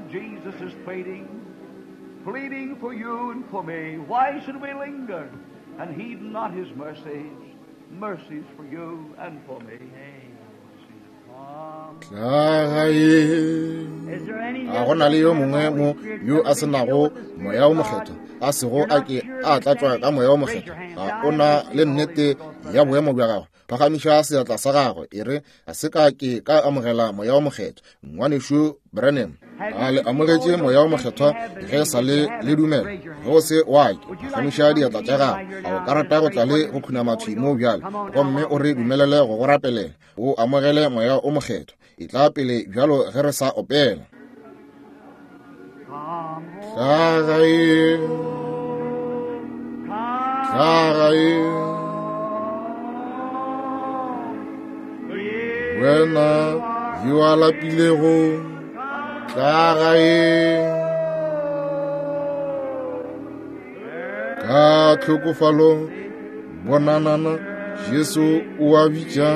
Jesus is pleading, pleading for you and for me. Why should we linger and heed not His mercies? Mercies for you and for me. Tla gae. A go na le yo mongwe mo yo a se nago moya o mokgethwa, a sego a ke a tlatšwa ka moya o mokgethwa, ga o na le nnete ya boemo bja gagwe, phagamiša seatla sa gagwe e re a se ka ke ka amogela moya o mokgethwa. Ngwanešu Branham, a le amogetše moya o mokgethwa ge sa le le dumela? Ge o se wa ke, phagamiša diatla tša gago. A o ka rata go tla le go khunama thwi mo bjale gomme o re dumelele go go rapelela o amogele moya o mokgethwa? E tla pele bjalo ge re sa opela. Tla gae, tla gae, wena yo a lapilego, tla gae. Ka tlhokofalo bonanana Jesu o a bitša,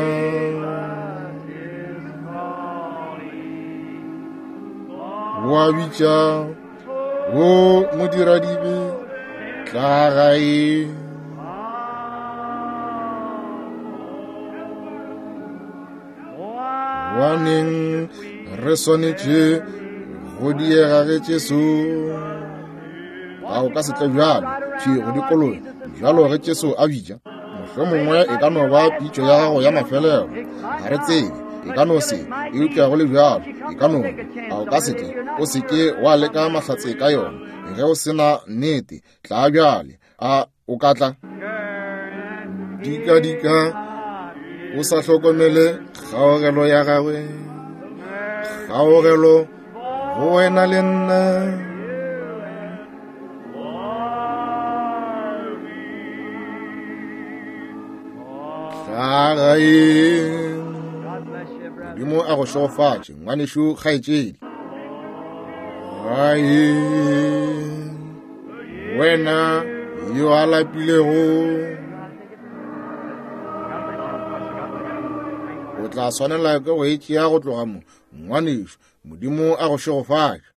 o a bitša, o modiradibe, tla gae. Gobaneng re swanetše go diega ge Jesu? A o ka se tle bjalo thwi go dikologa bjalo ge Jesu a bitša? Mohlomongwe e ka no ba pitšo ya gago ya mafelelo, ga re tsebe, e ka no se, eupša go le bjalo e ka no. A o ka se tle? O se ke wa leka mahlatse ka yona ge o se na nnete. Tla bjale. A o ka tla? Dika-dika o sa hlokomele kgaogelo ya gagwe, kgaogelo go wena le nna. Tla gae. Modimo a go šegofatše ngwanešu kgaetšedi. Gae wena yo a lapilego, o tla swanela ke go e tšea go tloga mo ngwanešu. Modimo a go šegofatše.